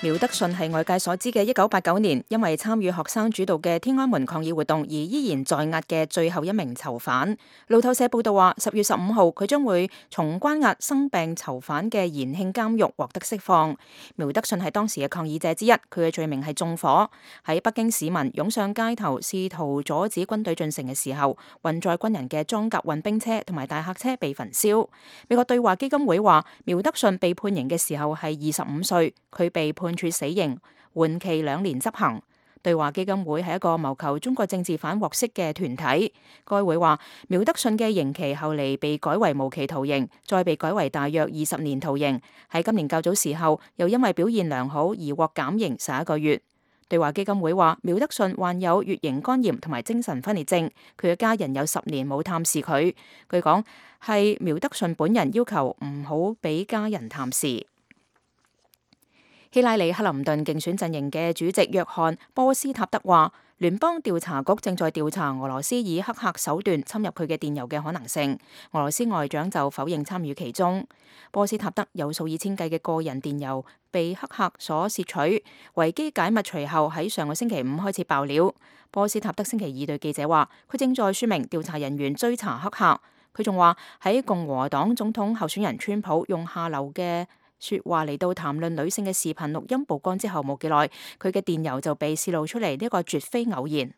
苗德順係外界所知嘅1989年因為參與學生主導嘅天安門抗議活動而依然在押嘅最後一名囚犯。路透社報道話，10月15號佢將會從關押生病囚犯嘅延慶監獄獲得釋放。苗德順係當時嘅抗議者之一，佢嘅罪名係縱火。喺北京市民湧上街頭試圖阻止軍隊進城嘅時候，運載軍人嘅裝甲運兵車同埋大客車被焚燒。美國對華基金會話，苗德順被判刑嘅時候係25歲，佢被判處死刑，緩期2年執行。對華基金會係一個謀求中國政治犯獲釋嘅團體。該會話，苗德順嘅刑期後嚟被改為無期徒刑，再被改為大約20年徒刑。喺今年較早時候，又因為表現良好而獲減刑11個月。對華基金會話，苗德順患有乙型肝炎同埋精神分裂症，佢嘅家人有10年冇探視佢。據講係苗德順本人要求唔好俾家人探視。希拉里·克林頓競選陣營嘅主席約翰·波斯塔德話，聯邦調查局正在調查俄羅斯以黑客手段侵入佢嘅電郵嘅可能性。俄羅斯外長就否認參與其中。波斯塔德有數以千計嘅個人電郵被黑客所竊取，維基解密隨後喺上個星期5開始爆料。波斯塔德星期2對記者話，佢正在說明調查人員追查黑客。佢仲話喺共和黨總統候選人川普用下流嘅說話嚟到談論女性嘅視頻錄音曝光之後冇幾耐，佢嘅電郵就被洩露出嚟，呢個絕非偶然。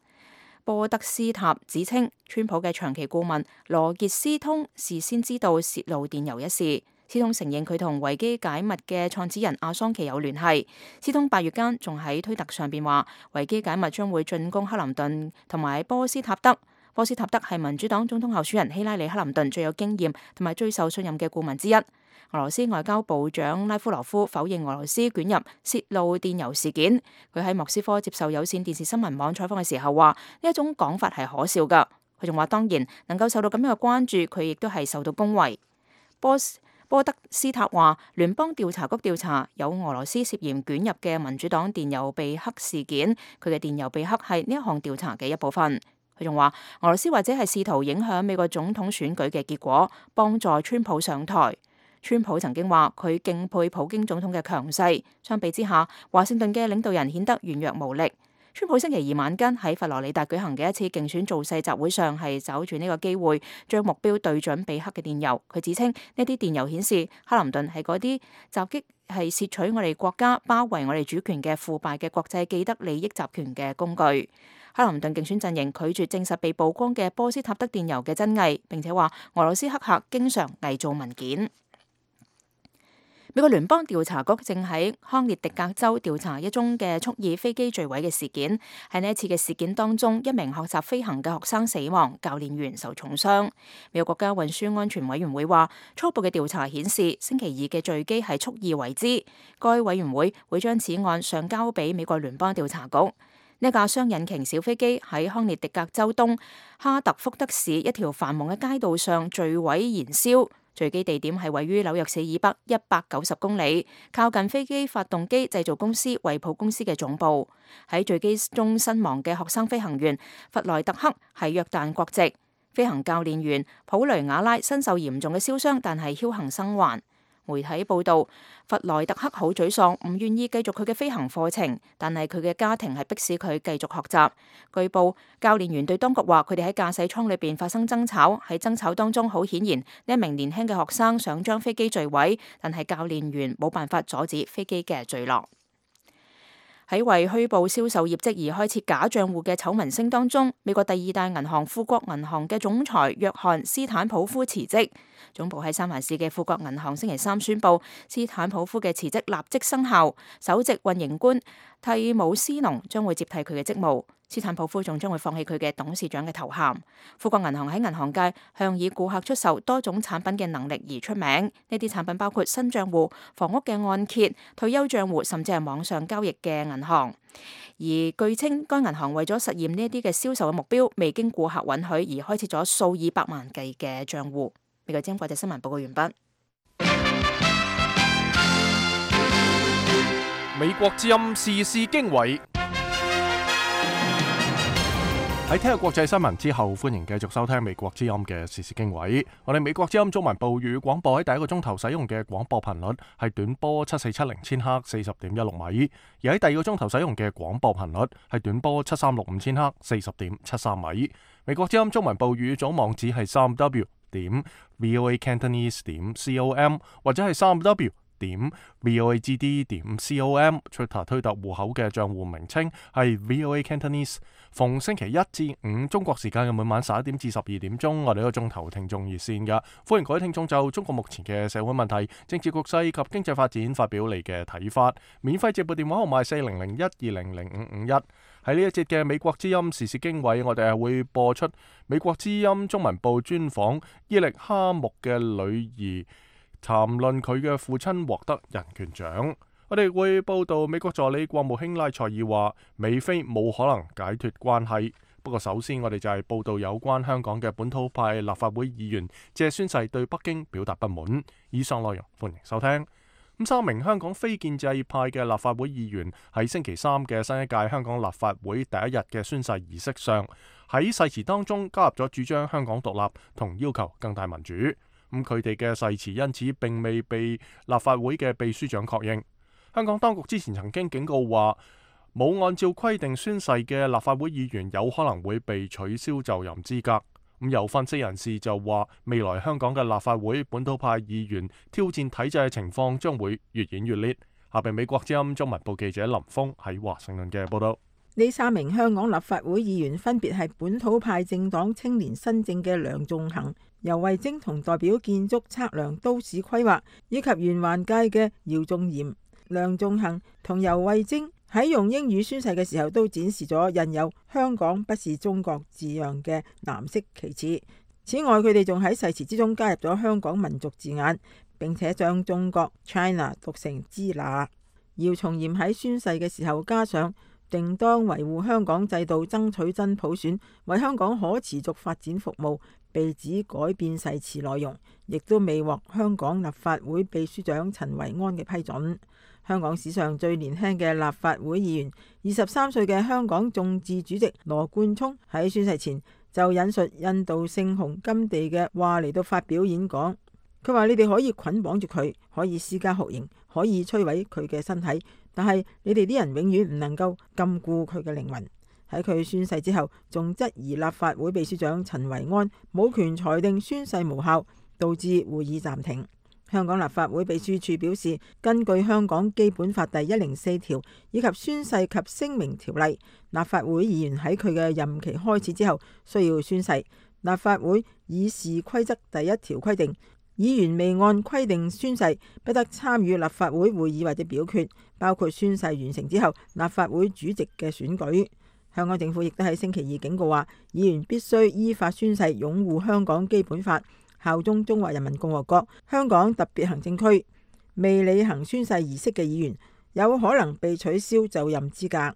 波德斯塔指稱，川普嘅長期顧問羅傑斯通事先知道洩露電郵一事。斯通承認佢同維基解密嘅創始人阿桑奇有聯繫。斯通8月間仲喺推特上邊話，維基解密將會進攻克林頓同埋波斯塔德。波斯塔德係民主黨總統候選人希拉里·克林頓最有經驗同埋最受信任嘅顧問之一。俄羅斯外交部長拉夫羅夫否認俄羅斯捲入洩露電郵事件。佢喺莫斯科接受有線電視新聞網採訪嘅時候話，呢一種講法係可笑㗎。佢仲話，當然能夠受到咁樣嘅關注，佢亦都係受到恭維。波德斯塔話，聯邦調查局調查有俄羅斯涉嫌捲入嘅民主黨電郵被黑事件，佢嘅電郵被黑係呢一項調查嘅一部分。佢仲話，俄羅斯或者係試圖影響美國總統選舉嘅結果，幫助川普上台。川普曾經話佢敬佩普京總統嘅強勢，相比之下，華盛頓嘅領導人顯得軟弱無力。川普星期2晚間喺佛羅里達舉行嘅一次競選造勢集會上，係找住呢個機會將目標對準被黑嘅電郵。佢指稱呢啲電郵顯示克林頓係嗰啲襲擊係竊取我哋國家、包圍我哋主權嘅腐敗嘅國際既得利益集團嘅工具。克林頓競選陣營拒絕證實被曝光嘅波斯塔德電郵嘅真偽，並且話俄羅斯黑客經常偽造文件。美國聯邦調查局正喺康涅狄格州調查一宗嘅蓄意飛機墜毀嘅事件。喺呢一次嘅事件當中，一名學習飛行嘅學生死亡，教練員受重傷。美國國家運輸安全委員會話，初步嘅調查顯示，星期2嘅墜機係蓄意為之。該委員會會將此案上交俾美國聯邦調查局。呢架雙引擎小飛機喺康涅狄格州東哈特福德市一條繁忙嘅街道上墜毀燃燒。墜機地點係位於紐約市以北190公里，靠近飛機發動機製造公司惠普公司嘅總部。喺墜機中身亡嘅學生飛行員弗萊特克係約旦國籍，飛行教練員普雷瓦拉身受嚴重嘅燒傷，但係僥倖生還。媒體報道，弗萊特克好沮喪，唔願意繼續佢嘅飛行課程，但係佢嘅家庭係迫使佢繼續學習。據報，教練員對當局話，佢哋喺駕駛艙裏邊發生爭吵，喺爭吵當中，好顯然呢一名年輕嘅學生想將飛機墜毀，但係教練員冇辦法阻止飛機嘅墜落。喺為虛報銷售業績而開設假賬戶嘅醜聞聲當中，美國第二大銀行富國銀行嘅總裁約翰斯坦普夫辭職。總部喺三藩市嘅富國銀行星期三宣布，斯坦普夫嘅辭職立即生效，首席運營官蒂姆斯農將會接替佢嘅職務。斯坦普夫仲將會放棄佢嘅董事長嘅頭銜。富國銀行喺銀行界向以顧客出售多種產品嘅能力而出名，呢啲產品包括新賬戶、房屋嘅按揭、退休賬戶，甚至係網上交易嘅銀行。而據稱，該銀行為咗實現呢一啲嘅銷售嘅目標，未經顧客允許而開設咗數以百萬計嘅賬戶。美國之音國際新聞報告完畢。美國之音時事經緯。喺聽日國際新聞之後，歡迎繼續收聽美國之音嘅時事經緯。我哋美國之音中文部粵語廣播喺第一個鐘頭使用嘅廣播頻率係短波7470千赫40.16米，而喺第二個鐘頭使用嘅廣播頻率係短波7365千赫40.73米。美國之音中文部粵語組網址係3w.voacantonese.com 或者係3w.voagd.com。Twitter 推特戶口嘅賬戶名稱係 VOA Cantonese。逢星期一至五中國時間嘅每晚11點至12點鐘，我哋一個鐘頭聽眾熱線㗎，歡迎各位聽眾就中國目前嘅社會問題、政治局勢及經濟發展發表你嘅睇法。免費直撥電話號碼4001200551。喺呢一節嘅美國之音時事經緯，我哋係會播出美國之音中文部專訪伊力哈木嘅女兒，談論佢嘅父親獲得人權獎。我哋會報道美國助理國務卿拉塞爾話美菲冇可能解脫關係。不過首先我哋就係報道有關香港嘅本土派立法會議員借宣誓對北京表達不滿。以上內容歡迎收聽。3名香港非建制派嘅立法會議員喺星期三嘅新一屆香港立法會第一日嘅宣誓儀式上，喺誓詞當中加入咗主張香港獨立同要求更大民主。佢哋嘅誓詞因此並未被立法會嘅秘書長確認。香港當局之前曾經警告話，冇按照規定宣誓嘅立法會議員有可能會被取消就任資格。有分析人士就話，未來香港嘅立法會本土派議員挑戰體制嘅情況將會越演越烈。下邊美國之音中文部記者林峰喺華盛頓嘅報道。呢3名香港立法會議員分別係本土派政黨青年新政嘅梁頌恆、游蕙禎同代表建築測量都市規劃以及沿環界嘅姚仲賢。梁頌恆同游蕙禎喺用英語宣誓嘅時候都展示咗印有香港不是中國字樣嘅藍色旗幟。此外，佢哋仲喺誓詞之中加入咗香港民族字眼，並且將中國 China 讀成支那。姚松炎喺宣誓嘅時候加上定當維護香港制度，爭取真普選，為香港可持續發展服務，被指改變誓詞內容，亦都未獲香港立法會秘書長陳維安嘅批准。香港史上最年輕嘅立法會議員，23歲嘅香港眾志主席羅冠聰喺宣誓前就引述印度聖雄甘地嘅話嚟到發表演講。佢話：你哋可以捆綁住佢，可以施加酷刑，可以摧毀佢嘅身體，但係你哋啲人永遠唔能夠禁錮佢嘅靈魂。喺佢宣誓之後，仲質疑立法會秘書長陳維安冇權裁定宣誓無效，導致會議暫停。香港立法會秘書處表示，根據香港基本法第104條以及宣誓及聲明條例，立法會議員喺佢嘅任期開始之後需要宣誓。立法會議事規則第1條規定，議員未按規定宣誓，不得參與立法會會議或者表決，包括宣誓完成之後立法會主席嘅選舉。香港政府亦都喺星期二警告話，議員必須依法宣誓擁護香港基本法，效忠中華人民共和國香港特別行政區。未履行宣誓儀式嘅議員有可能被取消就任資格。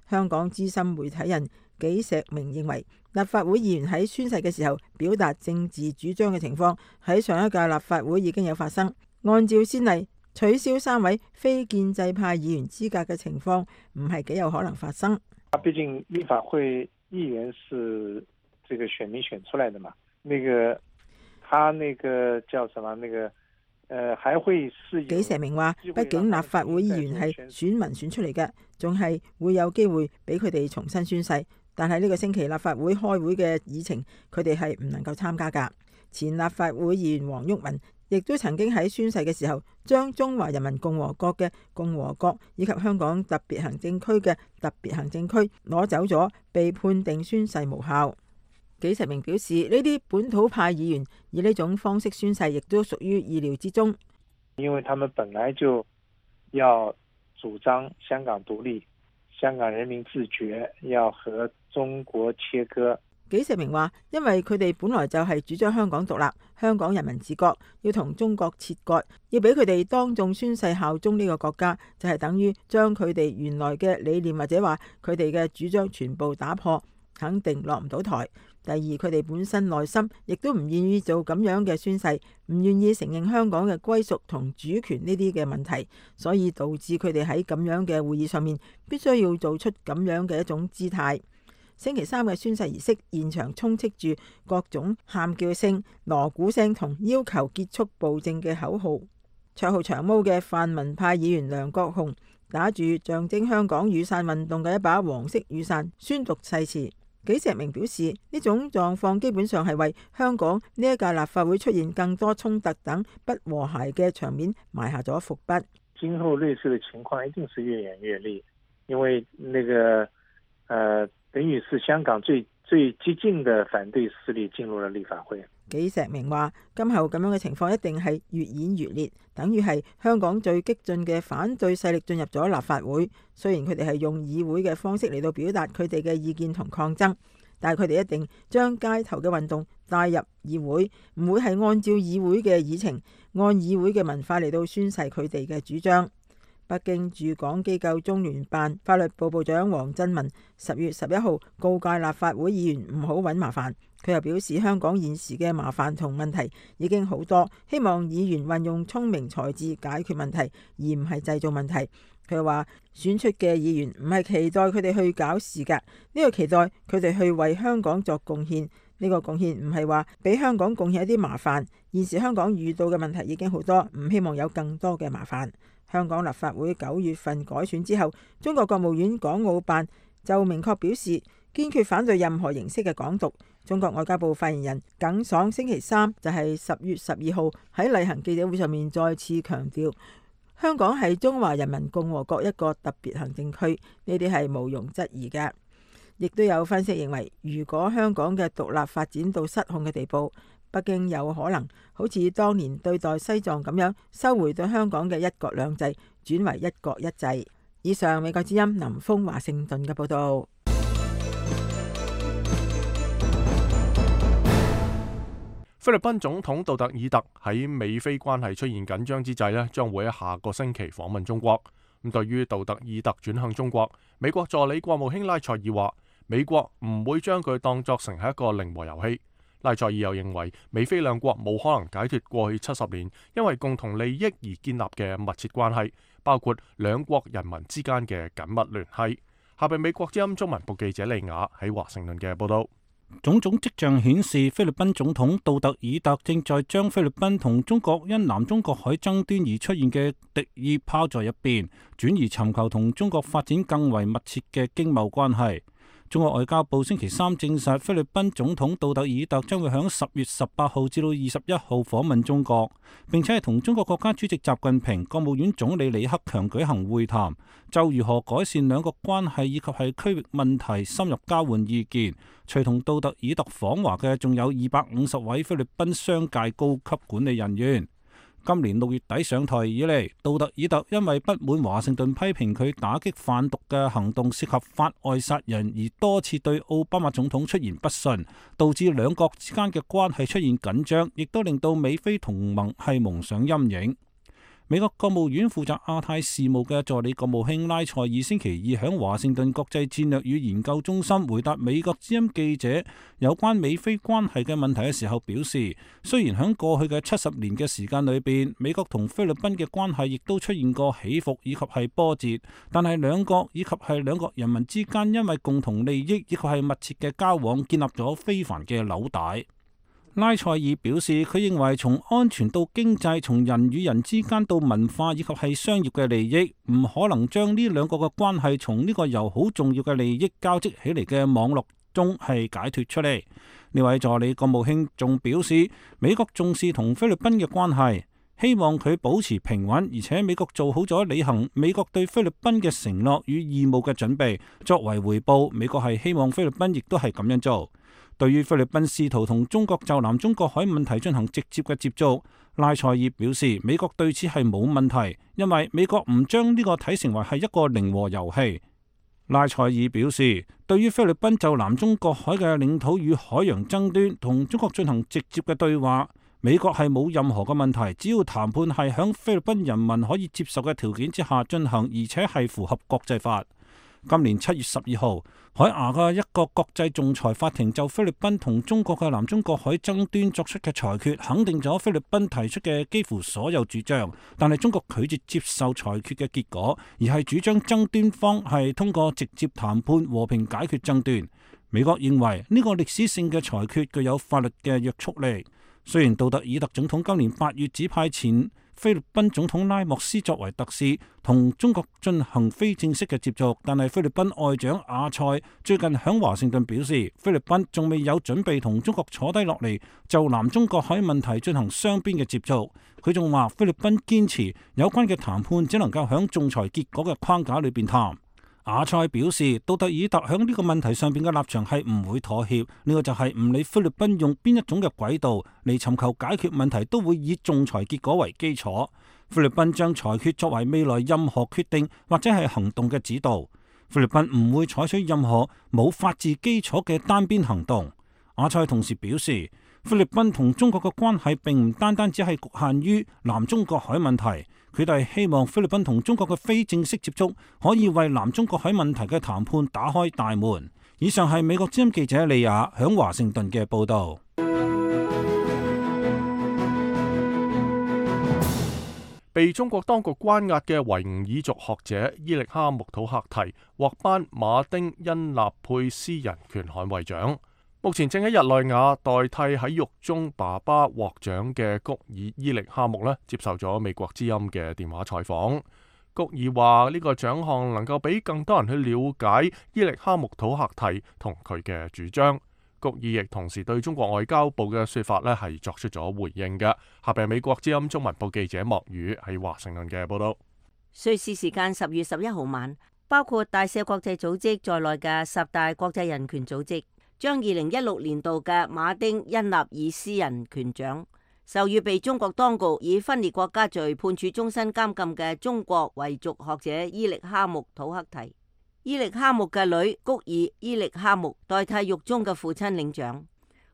香港資深媒體人紀石明認為，立法會議員喺宣誓嘅時候表達政治主張嘅情況喺上一屆立法會已經有發生。按照先例，取消3位非建制派議員資格嘅情況唔係幾有可能發生。畢竟立法會議員是這個選民選出來的嘛，他叫什麼還會是紀石明話，畢竟立法會議員係選民選出嚟嘅，仲係會有機會俾佢哋重新宣誓。但係呢個星期立法會開會嘅議程，佢哋係唔能夠參加噶。前立法會議員黃毓民亦都曾經喺宣誓嘅時候將中華人民共和國嘅共和國以及香港特別行政區嘅特別行政區攞走咗，被判定宣誓無效。紀實明表示，呢啲本土派議員以呢種方式宣誓，亦都屬於意料之中。因為他們本來就要主張香港獨立，香港人民自決，要和中國切割。紀實明話，因為佢哋本來就係主張香港獨立，香港人民自覺，要同中國切割，要俾佢哋當眾宣誓效忠呢個國家，就係等於將佢哋原來嘅理念或者話佢哋嘅主張全部打破，肯定落唔到台。第二，佢哋本身內心亦都唔願意做咁樣嘅宣誓，唔願意承認香港嘅歸屬同主權呢啲嘅問題，所以導致佢哋喺咁樣嘅會議上面必須要做出咁樣嘅一種姿態。星期三嘅宣誓儀式現場充斥住各種喊叫聲、鑼鼓聲同要求結束暴政嘅口號。綽號長毛嘅泛民派議員梁國雄打住象徵香港雨傘運動嘅一把黃色雨傘宣讀誓詞。紀石明表示，呢種狀況基本上係為香港呢一屆立法會出現更多衝突等不和諧嘅場面埋下咗伏筆。今後類似嘅情況一定是越演越烈，因為等於是香港最激進嘅反對勢力進入了立法會。紀石明話，今後咁樣嘅情況一定係越演越烈，等於係香港最激進嘅反對勢力進入咗立法會。雖然佢哋係用議會嘅方式嚟到表達佢哋嘅意見同抗爭，但係佢哋一定將街頭嘅運動帶入議會，唔會係按照議會嘅議程，按議會嘅文化嚟到宣誓佢哋嘅主張。北京駐港機構中聯辦法律部部長黃振文10月11號告誡立法會議員唔好搵麻煩。佢又表示，香港現時嘅麻煩同問題已經好多，希望議員運用聰明才智解決問題，而唔係製造問題。佢又話，選出嘅議員唔係期待佢哋去搞事㗎，呢個期待佢哋去為香港作貢獻。呢個貢獻唔係話俾香港貢獻一啲麻煩。現時香港遇到嘅問題已經好多，唔希望有更多嘅麻煩。香港立法會9月份改選之後，中國國務院港澳辦就明確表示堅決反對任何形式嘅港獨。中國外交部發言人耿爽星期三就係10月12號喺例行記者會上面再次強調，香港係中華人民共和國一個特別行政區，呢啲係毋庸置疑嘅。亦都有分析認為，如果香港嘅獨立發展到失控嘅地步，北京有可能好似當年對待西藏咁樣，收回對香港嘅一國兩制，轉為一國一制。以上美國之音林峰華盛頓嘅報道。菲律賓總統杜特爾特喺美菲關係出現緊張之際咧，將會喺下個星期訪問中國。咁對於杜特爾特轉向中國，美國助理國務卿拉塞爾話，美國唔會將佢當作成係一個零和遊戲。拉塞爾又認為，美菲兩國冇可能解脫過去70年因為共同利益而建立嘅密切關係，包括兩國人民之間嘅緊密聯繫。下邊美國之音中文部記者利亞喺華盛頓嘅報道。種種跡象顯示，菲律賓總統杜特爾特正在將菲律賓同中國因南中國海爭端而出現嘅敵意拋在一邊，轉而尋求同中國發展更為密切嘅經貿關係。中國外交部星期三證實，菲律賓總統杜特爾特將會喺10月18號至到21號訪問中國，並且係同中國國家主席習近平、國務院總理李克強舉行會談，就如何改善兩國關係以及係區域問題深入交換意見。隨同杜特爾特訪華嘅仲有250位菲律賓商界高級管理人員。今年6月底上台以嚟，杜特爾特因為不滿華盛頓批評佢打擊販毒嘅行動涉及法外殺人，而多次對奧巴馬總統出言不遜，導致兩國之間嘅關係出現緊張，亦都令到美菲同盟係蒙上陰影。美國國務院負責亞太事務嘅助理國務卿拉塞爾星期二喺華盛頓國際戰略與研究中心回答美國之音記者有關美菲關係嘅問題嘅時候表示，雖然喺過去嘅70年嘅時間裏邊，美國同菲律賓嘅關係亦都出現過起伏以及係波折，但係兩國以及係兩國人民之間因為共同利益以及係密切嘅交往，建立咗非凡嘅紐帶。拉塞爾表示，佢認為從安全到經濟，從人與人之間到文化以及係商業嘅利益，唔可能將呢兩個嘅關係從呢個由好重要嘅利益交織起嚟嘅網絡中係解脫出嚟。呢位助理國務卿仲表示，美國重視同菲律賓嘅關係，希望佢保持平穩，而且美國做好咗履行美國對菲律賓嘅承諾與義務嘅準備。作為回報，美國係希望菲律賓亦都係咁樣做。對於菲律賓試圖同中國就南中國海問題進行直接嘅接觸，賴塞爾表示美國對此係冇問題，因為美國唔將呢個睇成為係一個零和遊戲。賴塞爾表示，對於菲律賓就南中國海嘅領土與海洋爭端同中國進行直接嘅對話，美國係冇任何嘅問題，只要談判係響菲律賓人民可以接受嘅條件之下進行，而且係符合國際法。今年7月12號，海牙嘅一個國際仲裁法庭就菲律賓同中國嘅南中國海爭端作出嘅裁決，肯定咗菲律賓提出嘅幾乎所有主張，但係中國拒絕接受裁決嘅結果，而係主張爭端方係通過直接談判和平解決爭端。美國認為呢個歷史性嘅裁決具有法律嘅約束力。雖然杜特爾特總統今年8月指派前菲律賓總統拉莫斯作為特使，同中國進行非正式嘅接觸，但係菲律賓外長阿塞最近響華盛頓表示，菲律賓仲未有準備同中國坐低落嚟就南中國海問題進行雙邊嘅接觸。佢仲話菲律賓堅持有關嘅談判只能夠響仲裁結果嘅框架裏邊談。阿塞表示，杜特爾特響呢個問題上邊嘅立場係唔會妥協，呢個就係唔理菲律賓用邊一種嘅軌道嚟尋求解決問題，都會以仲裁結果為基礎。菲律賓將裁決作為未來任何決定或者係行動嘅指導。菲律賓唔會採取任何冇法治基礎嘅單邊行動。阿塞同時表示，菲律賓同中國嘅關係並唔單單只係局限於南中國海問題。佢哋希望菲律賓同中國嘅非正式接觸可以為南中國海問題嘅談判打開大門。以上係美國之音記者李雅響華盛頓嘅報導。被中國當局關押嘅維吾爾族學者伊力哈木土克提獲頒馬丁恩納佩斯人權捍衛獎。目前正喺日內瓦代替喺獄中爸爸獲獎嘅谷爾伊力哈木接受咗美國之音嘅電話採訪。谷爾話呢個獎項能夠俾更多人去了解伊力哈木土克提同佢嘅主張。谷爾亦同時對中國外交部嘅說法係作出咗回應嘅。下邊美國之音中文部記者莫宇喺華盛頓嘅報道。瑞士時間10月11號晚，包括大赦國際組織在內嘅10大國際人權組織將2016年度嘅馬丁恩納爾斯人權獎授予被中國當局以分裂國家罪判處終身監禁嘅中國維族學者伊力哈木土克提。伊力哈木嘅女谷爾伊力哈木代替獄中嘅父親領獎。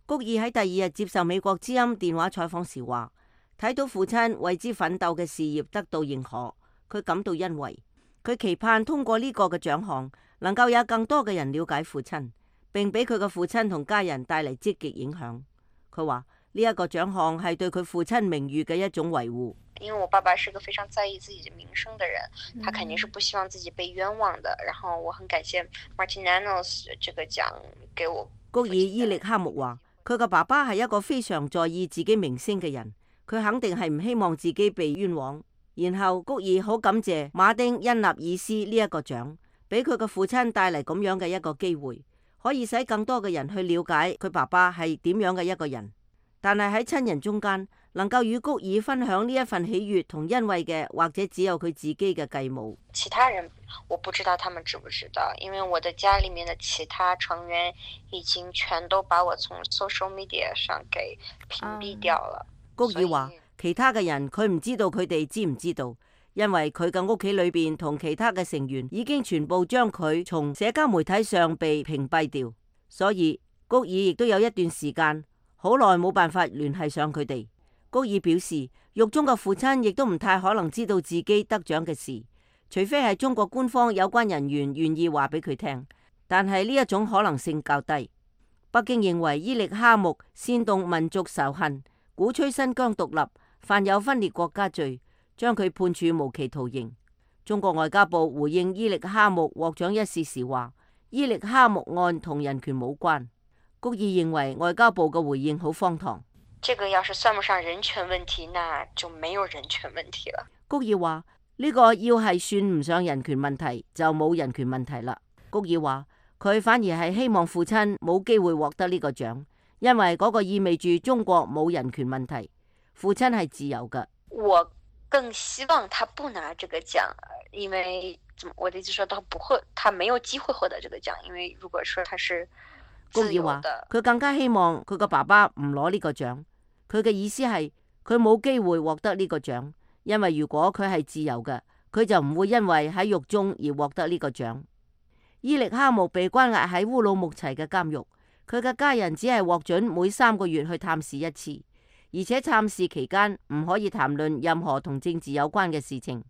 谷爾喺第2日接受美國之音電話採訪時話，睇到父親為之奮鬥嘅事業得到認可，佢感到欣慰。佢期盼通過呢個嘅獎項，能夠有更多嘅人了解父親，並俾佢嘅父親同家人帶嚟積極影響。佢話呢一個獎項係對佢父親名譽嘅一種維護。因為我爸爸是個非常在意自己名聲的人，他肯定是不希望自己被冤枉的。然後我很感謝 Martinanos 這個獎給我。谷爾伊力哈木話，佢嘅爸爸係一個非常在意自己名聲嘅人，佢肯定係唔希望自己被冤枉。然後谷爾好感謝馬丁恩納爾斯呢一個獎，俾佢嘅父親帶嚟咁樣嘅一個機會，可以使更多嘅人去了解佢爸爸係點樣嘅一個人。但係喺親人中間，能夠與谷爾分享呢一份喜悅同欣慰嘅，或者只有佢自己嘅繼母。其他人我不知道他們知不知道，因為我的家裏面的其他成員已經全都把我從 social media 上給屏蔽掉了。谷爾話其他嘅人佢唔知道佢哋知唔知道，因為佢嘅屋企裏邊同其他嘅成員已經全部將佢從社交媒體上被屏蔽掉，所以谷爾亦都有一段時間好耐冇辦法聯繫上佢哋。谷爾表示，獄中嘅父親亦都唔太可能知道自己得獎嘅事，除非係中國官方有關人員願意話俾佢聽，但係呢一種可能性較低。北京認為伊力哈木煽動民族仇恨、鼓吹新疆獨立，犯有分裂國家罪，將佢判處無期徒刑。中國外交部回應伊力哈木獲獎一事時話，伊力哈木案同人權冇關。谷爾認為外交部嘅回應好荒唐。這個要是算不上人權問題，那就沒有人權問題了。谷爾話呢個要係算唔上人權問題，就冇人權問題啦。谷爾話佢反而係希望父親冇機會獲得呢個獎，因為嗰個意味住中國冇人權問題。父親係自由嘅。我更希望他不拿這個獎，因為我的意思說他沒有機會獲得這個獎，因為如果說他是自由的，佢更加希望佢個爸爸唔攞呢個獎。佢嘅意思係佢冇機會獲得呢個獎，因為如果佢係自由嘅，佢就唔會因為喺獄中而獲得呢個獎。伊力哈木被關押喺烏魯木齊嘅監獄，佢嘅家人只係獲准每3個月去探視一次，而且探視期間唔可以談論任何同政治有關嘅事情。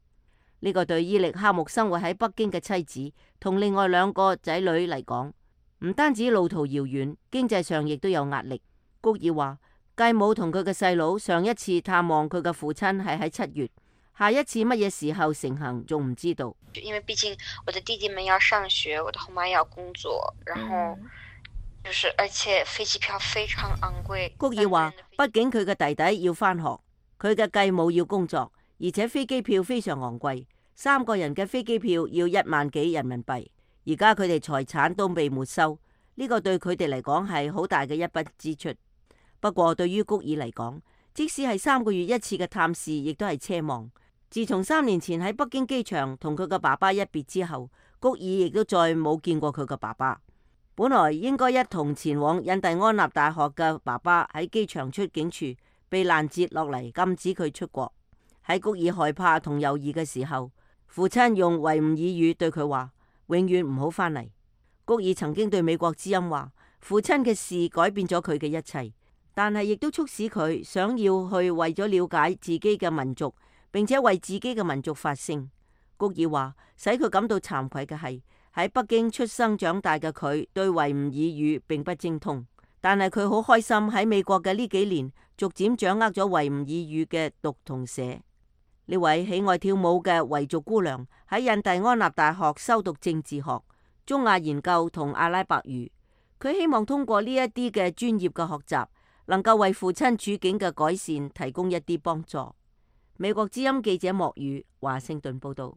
呢個對伊力哈木生活喺北京嘅妻子同另外2個仔女嚟講，唔單止路途遙遠，經濟上亦都有壓力。谷爾話，繼母同佢嘅細佬上一次探望佢嘅父親係喺7月，下一次乜嘢時候成行仲唔知道。因為畢竟我的弟弟們要上學，我的後媽要工作，然後而且飛機票非常昂貴。谷爾話，畢竟佢嘅弟弟要返學，佢嘅繼母要工作，而且飛機票非常昂貴，3個人嘅飛機票要1萬幾人民幣。而家佢哋財產都被沒收，呢個對佢哋嚟講係好大嘅一筆支出。不過對於谷爾嚟講，即使係3個月一次嘅探視，亦都係奢望。自從3年前喺北京機場同佢嘅爸爸一別之後，谷爾亦都再冇見過佢嘅爸爸。本來應該一同前往印第安納大學嘅爸爸喺機場出境處被攔截落嚟，禁止佢出國。喺谷爾害怕同猶豫嘅時候，父親用維吾爾語對佢話：永遠唔好返嚟。谷爾曾經對美國之音話：父親嘅事改變咗佢嘅一切，但係亦都促使佢想要去為咗了解自己嘅民族，並且為自己嘅民族發聲。谷爾話，使佢感到慚愧嘅係喺北京出生長大嘅佢對維吾爾語並不精通，但係佢好開心喺美國嘅呢幾年逐漸掌握咗維吾爾語嘅讀同寫。呢位喜愛跳舞嘅維族姑娘喺印第安納大學修讀政治學、中亞研究同阿拉伯語。佢希望通過呢一啲嘅專業嘅學習，能夠為父親處境嘅改善提供一啲幫助。美國之音記者莫宇華盛頓報道。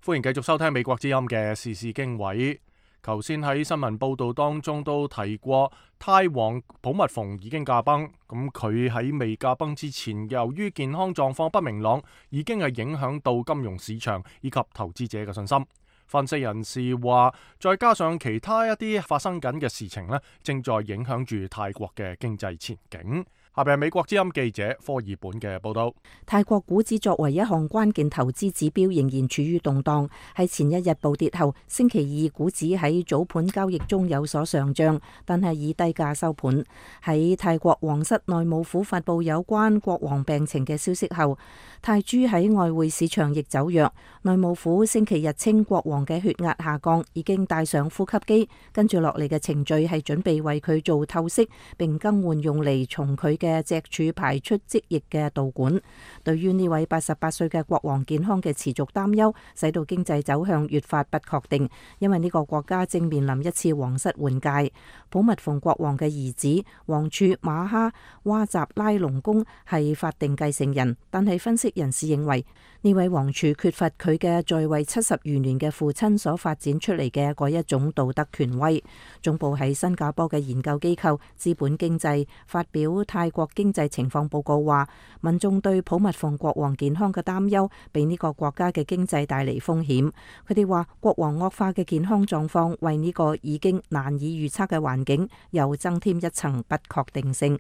歡迎繼續收聽美國之音嘅時事經緯。頭先喺新聞報道當中都提過，泰王普密蓬已經駕崩。咁佢喺未駕崩之前，由於健康狀況不明朗，已經係影響到金融市場以及投資者嘅信心。分析人士話，再加上其他一啲發生緊嘅事情呢，正在影響住泰國嘅經濟前景。下邊係美國之音記者科爾本嘅報道。泰國股指作為一項關鍵投資指標，仍然處於動盪。喺前一日暴跌後，星期二股指喺早盤交易中有所上漲，但係以低價收盤。喺泰國皇室內務府發布有關國王病情嘅消息後，泰銖喺外匯市場亦走弱。內務府星期日稱國王嘅血壓下降，已經戴上呼吸機，跟住落嚟嘅程序係準備為佢做透析，並更換用嚟從佢嘅脊柱排出積液嘅導管。對於呢位88歲嘅國王健康嘅持續擔憂，使到經濟走向越發不確定，因為呢個國家正面臨一次皇室換屆。普密蓬國王嘅兒子王儲馬哈哇扎拉隆功係法定繼承人，但係分析人士認為呢位王儲缺乏佢嘅在位70餘年嘅父親所發展出嚟嘅嗰一種道德權威。總部喺新加坡嘅研究機構資本經濟發表泰國經濟情況報告話，民眾對普密蓬國王健康嘅擔憂，俾呢個國家嘅經濟帶嚟風險。佢哋話，國王惡化嘅健康狀況為呢個已經難以預測嘅環境又增添一層不確定性。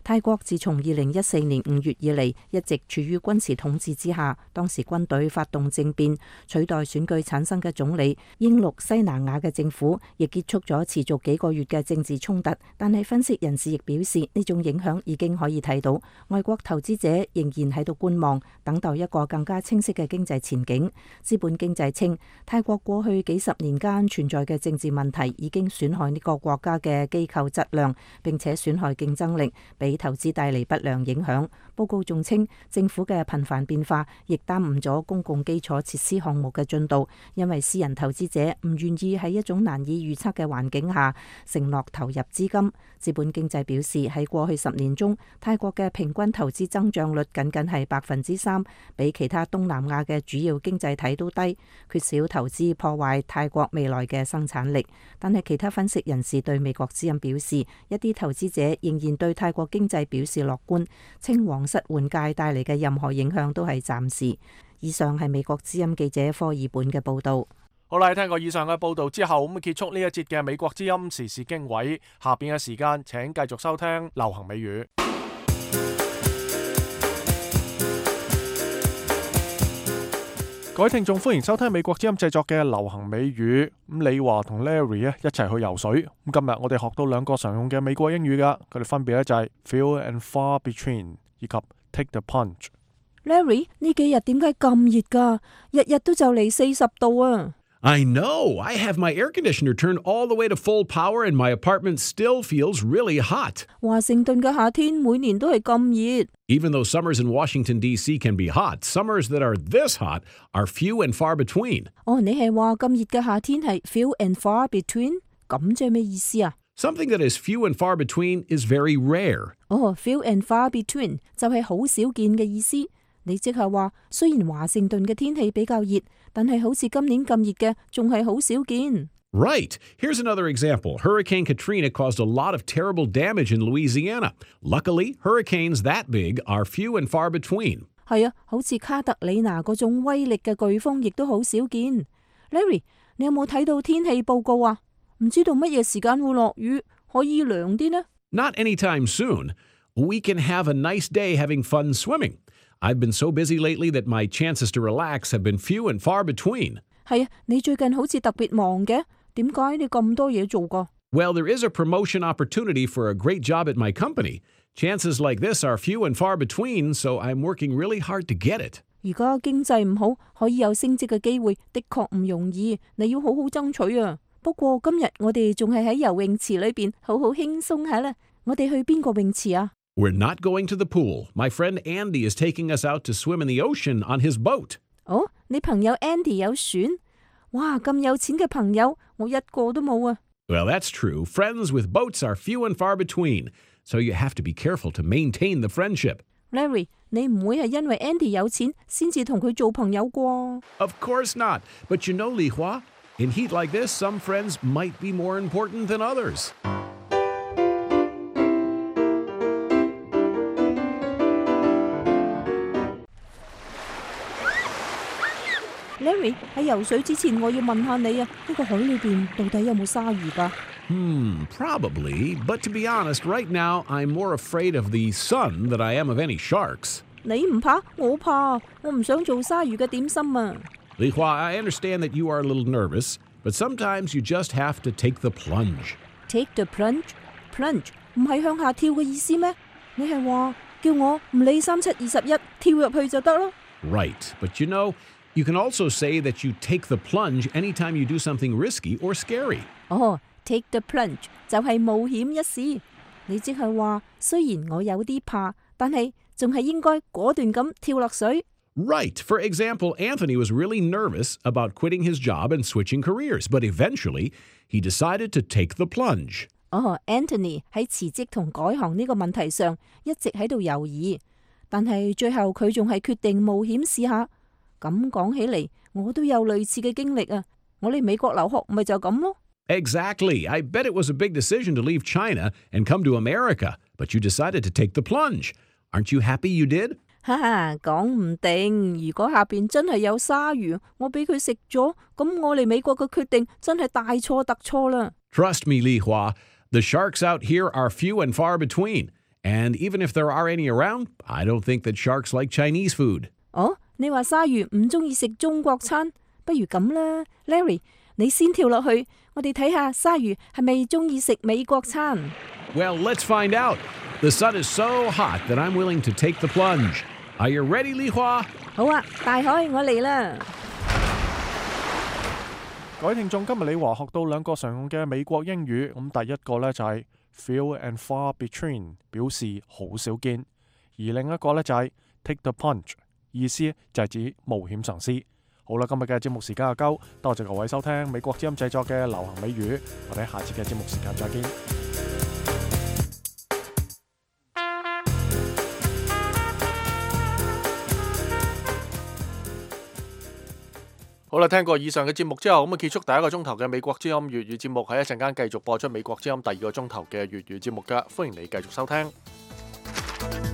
泰國自從2014年5月以嚟，一直處於軍事統治之下。當時軍隊發動政變，取代選舉產生嘅總理英祿西南亞嘅政府，亦結束咗持續幾個月嘅政治衝突。但係分析人士亦表示，呢種影響已經可以睇到，外國投資者仍然喺度觀望，等待一個更加清晰嘅經濟前景。資本經濟稱，泰國過去幾十年間存在嘅政治問題已經損害呢個國家嘅機構質量，並且損害競爭力，俾俾投資帶嚟不良影響。報告仲稱，政府嘅頻繁變化亦耽誤咗公共基礎設施項目嘅進度，因為私人投資者唔願意喺一種難以預測嘅環境下承諾投入資金。資本經濟表示，喺過去10年中，泰國嘅平均投資增長率僅僅係3%，比其他東南亞嘅主要經濟體都低。缺少投資破壞泰國未來嘅生產力。但係其他分析人士對美國之音表示，一啲投資者仍然對泰國經濟表示樂觀，稱皇室換屆帶嚟嘅任何影響都係暫時。以上係美國之音記者科爾本嘅報道。好啦，聽過以上嘅報道之後，咁結束呢一節嘅美國之音時事經緯。下邊嘅時間，請繼續收聽流行美語。各位聽眾，歡迎收聽美國之音製作嘅流行美語。咁李華同 Larry 一齊去游水。咁今日我哋學到2個常用嘅美國英語噶，佢哋分別咧就係 few and far between 以及 take the plunge。Larry， 呢幾日點解咁熱噶？日日都就嚟40度啊！ I know. I have my air conditioner turned all the way to full power and my apartment still feels really hot. 華盛頓嘅夏天每年都係咁熱。Even though summers in Washington, D.C. can be hot, summers that are this hot are few and far between. 你係話咁熱嘅夏天係 few and far between？ 咁即係咩意思啊？ Something that is few and far between is very rare. Few and far between 就係好少見嘅意思。你即係話，雖然華盛頓嘅天氣比較熱，但係好似今年咁熱嘅，仲係好少見。Right. Here's another example. Hurricane Katrina caused a lot of terrible damage in Louisiana. Luckily, hurricanes that big are few and far between. 係啊，好似卡特里娜嗰種威力嘅颶風，亦都好少見。Larry， 你有冇睇到天氣報告啊？唔知道乜嘢時間會落雨，可以涼啲呢？ Not anytime soon. We can have a nice day having fun swimming. I've been so busy lately that my chances to relax have been few and far between. 係啊，你最近好似特別忙嘅，點解你咁多嘢做㗎？ Well, there is a promotion opportunity for a great job at my company. Chances like this are few and far between, so I'm working really hard to get it. 而家經濟唔好，可以有升職嘅機會，的確唔容易，你要好好爭取啊。不過今日我哋仲係喺游泳池裏邊，好好輕鬆下啦。我哋去邊個泳池啊？ We're not going to the pool. My friend Andy is taking us out to swim in the ocean on his boat. 你朋友 Andy 有船？哇，咁有錢嘅朋友，我一個都冇啊。Well, that's true. Friends with boats are few and far between, so you have to be careful to maintain the friendship. Larry， 你唔會係因為 Andy 有錢先至同佢做朋友啩？ Of course not. But you know, Li Hua, in heat like this, some friends might be more important than others. Larry， 喺游水之前，我要問下你啊，呢個海裏邊到底有冇鯊魚㗎？Probably. But to be honest, right now I'm more afraid of the sun than I am of any sharks. 你唔怕，我怕，我唔想做鯊魚嘅點心啊。Li Hua, I understand that you are a little nervous, but sometimes you just have to take the plunge. Take the plunge? Plunge 唔係向下跳嘅意思咩？你係話叫我唔理3721跳入去就得咯？ Right, but you know, you can also say that you take the plunge anytime you do something risky or scary. Take the plunge 就係冒險一試。你即係話，雖然我有啲怕，但係仲係應該果斷咁跳落水。Right. For example, Anthony was really nervous about quitting his job and switching careers, but eventually he decided to take the plunge. Anthony 喺辭職同改行呢個問題上一直喺度猶豫，但係最後佢仲係決定冒險試下。咁講起嚟，我都有類似嘅經歷啊！我嚟美國留學咪就咁咯。Exactly. I bet it was a big decision to leave China and come to America, but you decided to take the plunge. Aren't you happy you did? 講唔定，如果下邊真係有鯊魚，我俾佢食咗，咁我嚟美國嘅決定真係大錯特錯啦。Trust me, Li Hua, the sharks out here are few and far between. And even if there are any around, I don't think that sharks like Chinese food. 你話鯊魚唔中意食中國餐，不如咁啦 ，Larry， 你先跳落去，我哋睇下鯊魚係咪中意食美國餐。Well, let's find out. The sun is so hot that I'm willing to take the plunge. Are you ready, Li Hua? 好啊，大海，我嚟啦！各位聽眾，今日李華學到2個常用嘅美國英語，咁第一個呢就係 few and far between， 表示好少見。而另一個呢，就係 take the plunge， 意思就係指冒險嘗試。好啦，今日嘅節目時間就夠，多謝各位收聽美國之音製作嘅流行美語，我哋下次嘅節目時間再見。好啦，聽過以上嘅節目之後，咁結束第一個鐘頭嘅美國之音粵語節目，喺一陣間繼續播出美國之音第二個鐘頭嘅粵語節目㗎，歡迎你繼續收聽。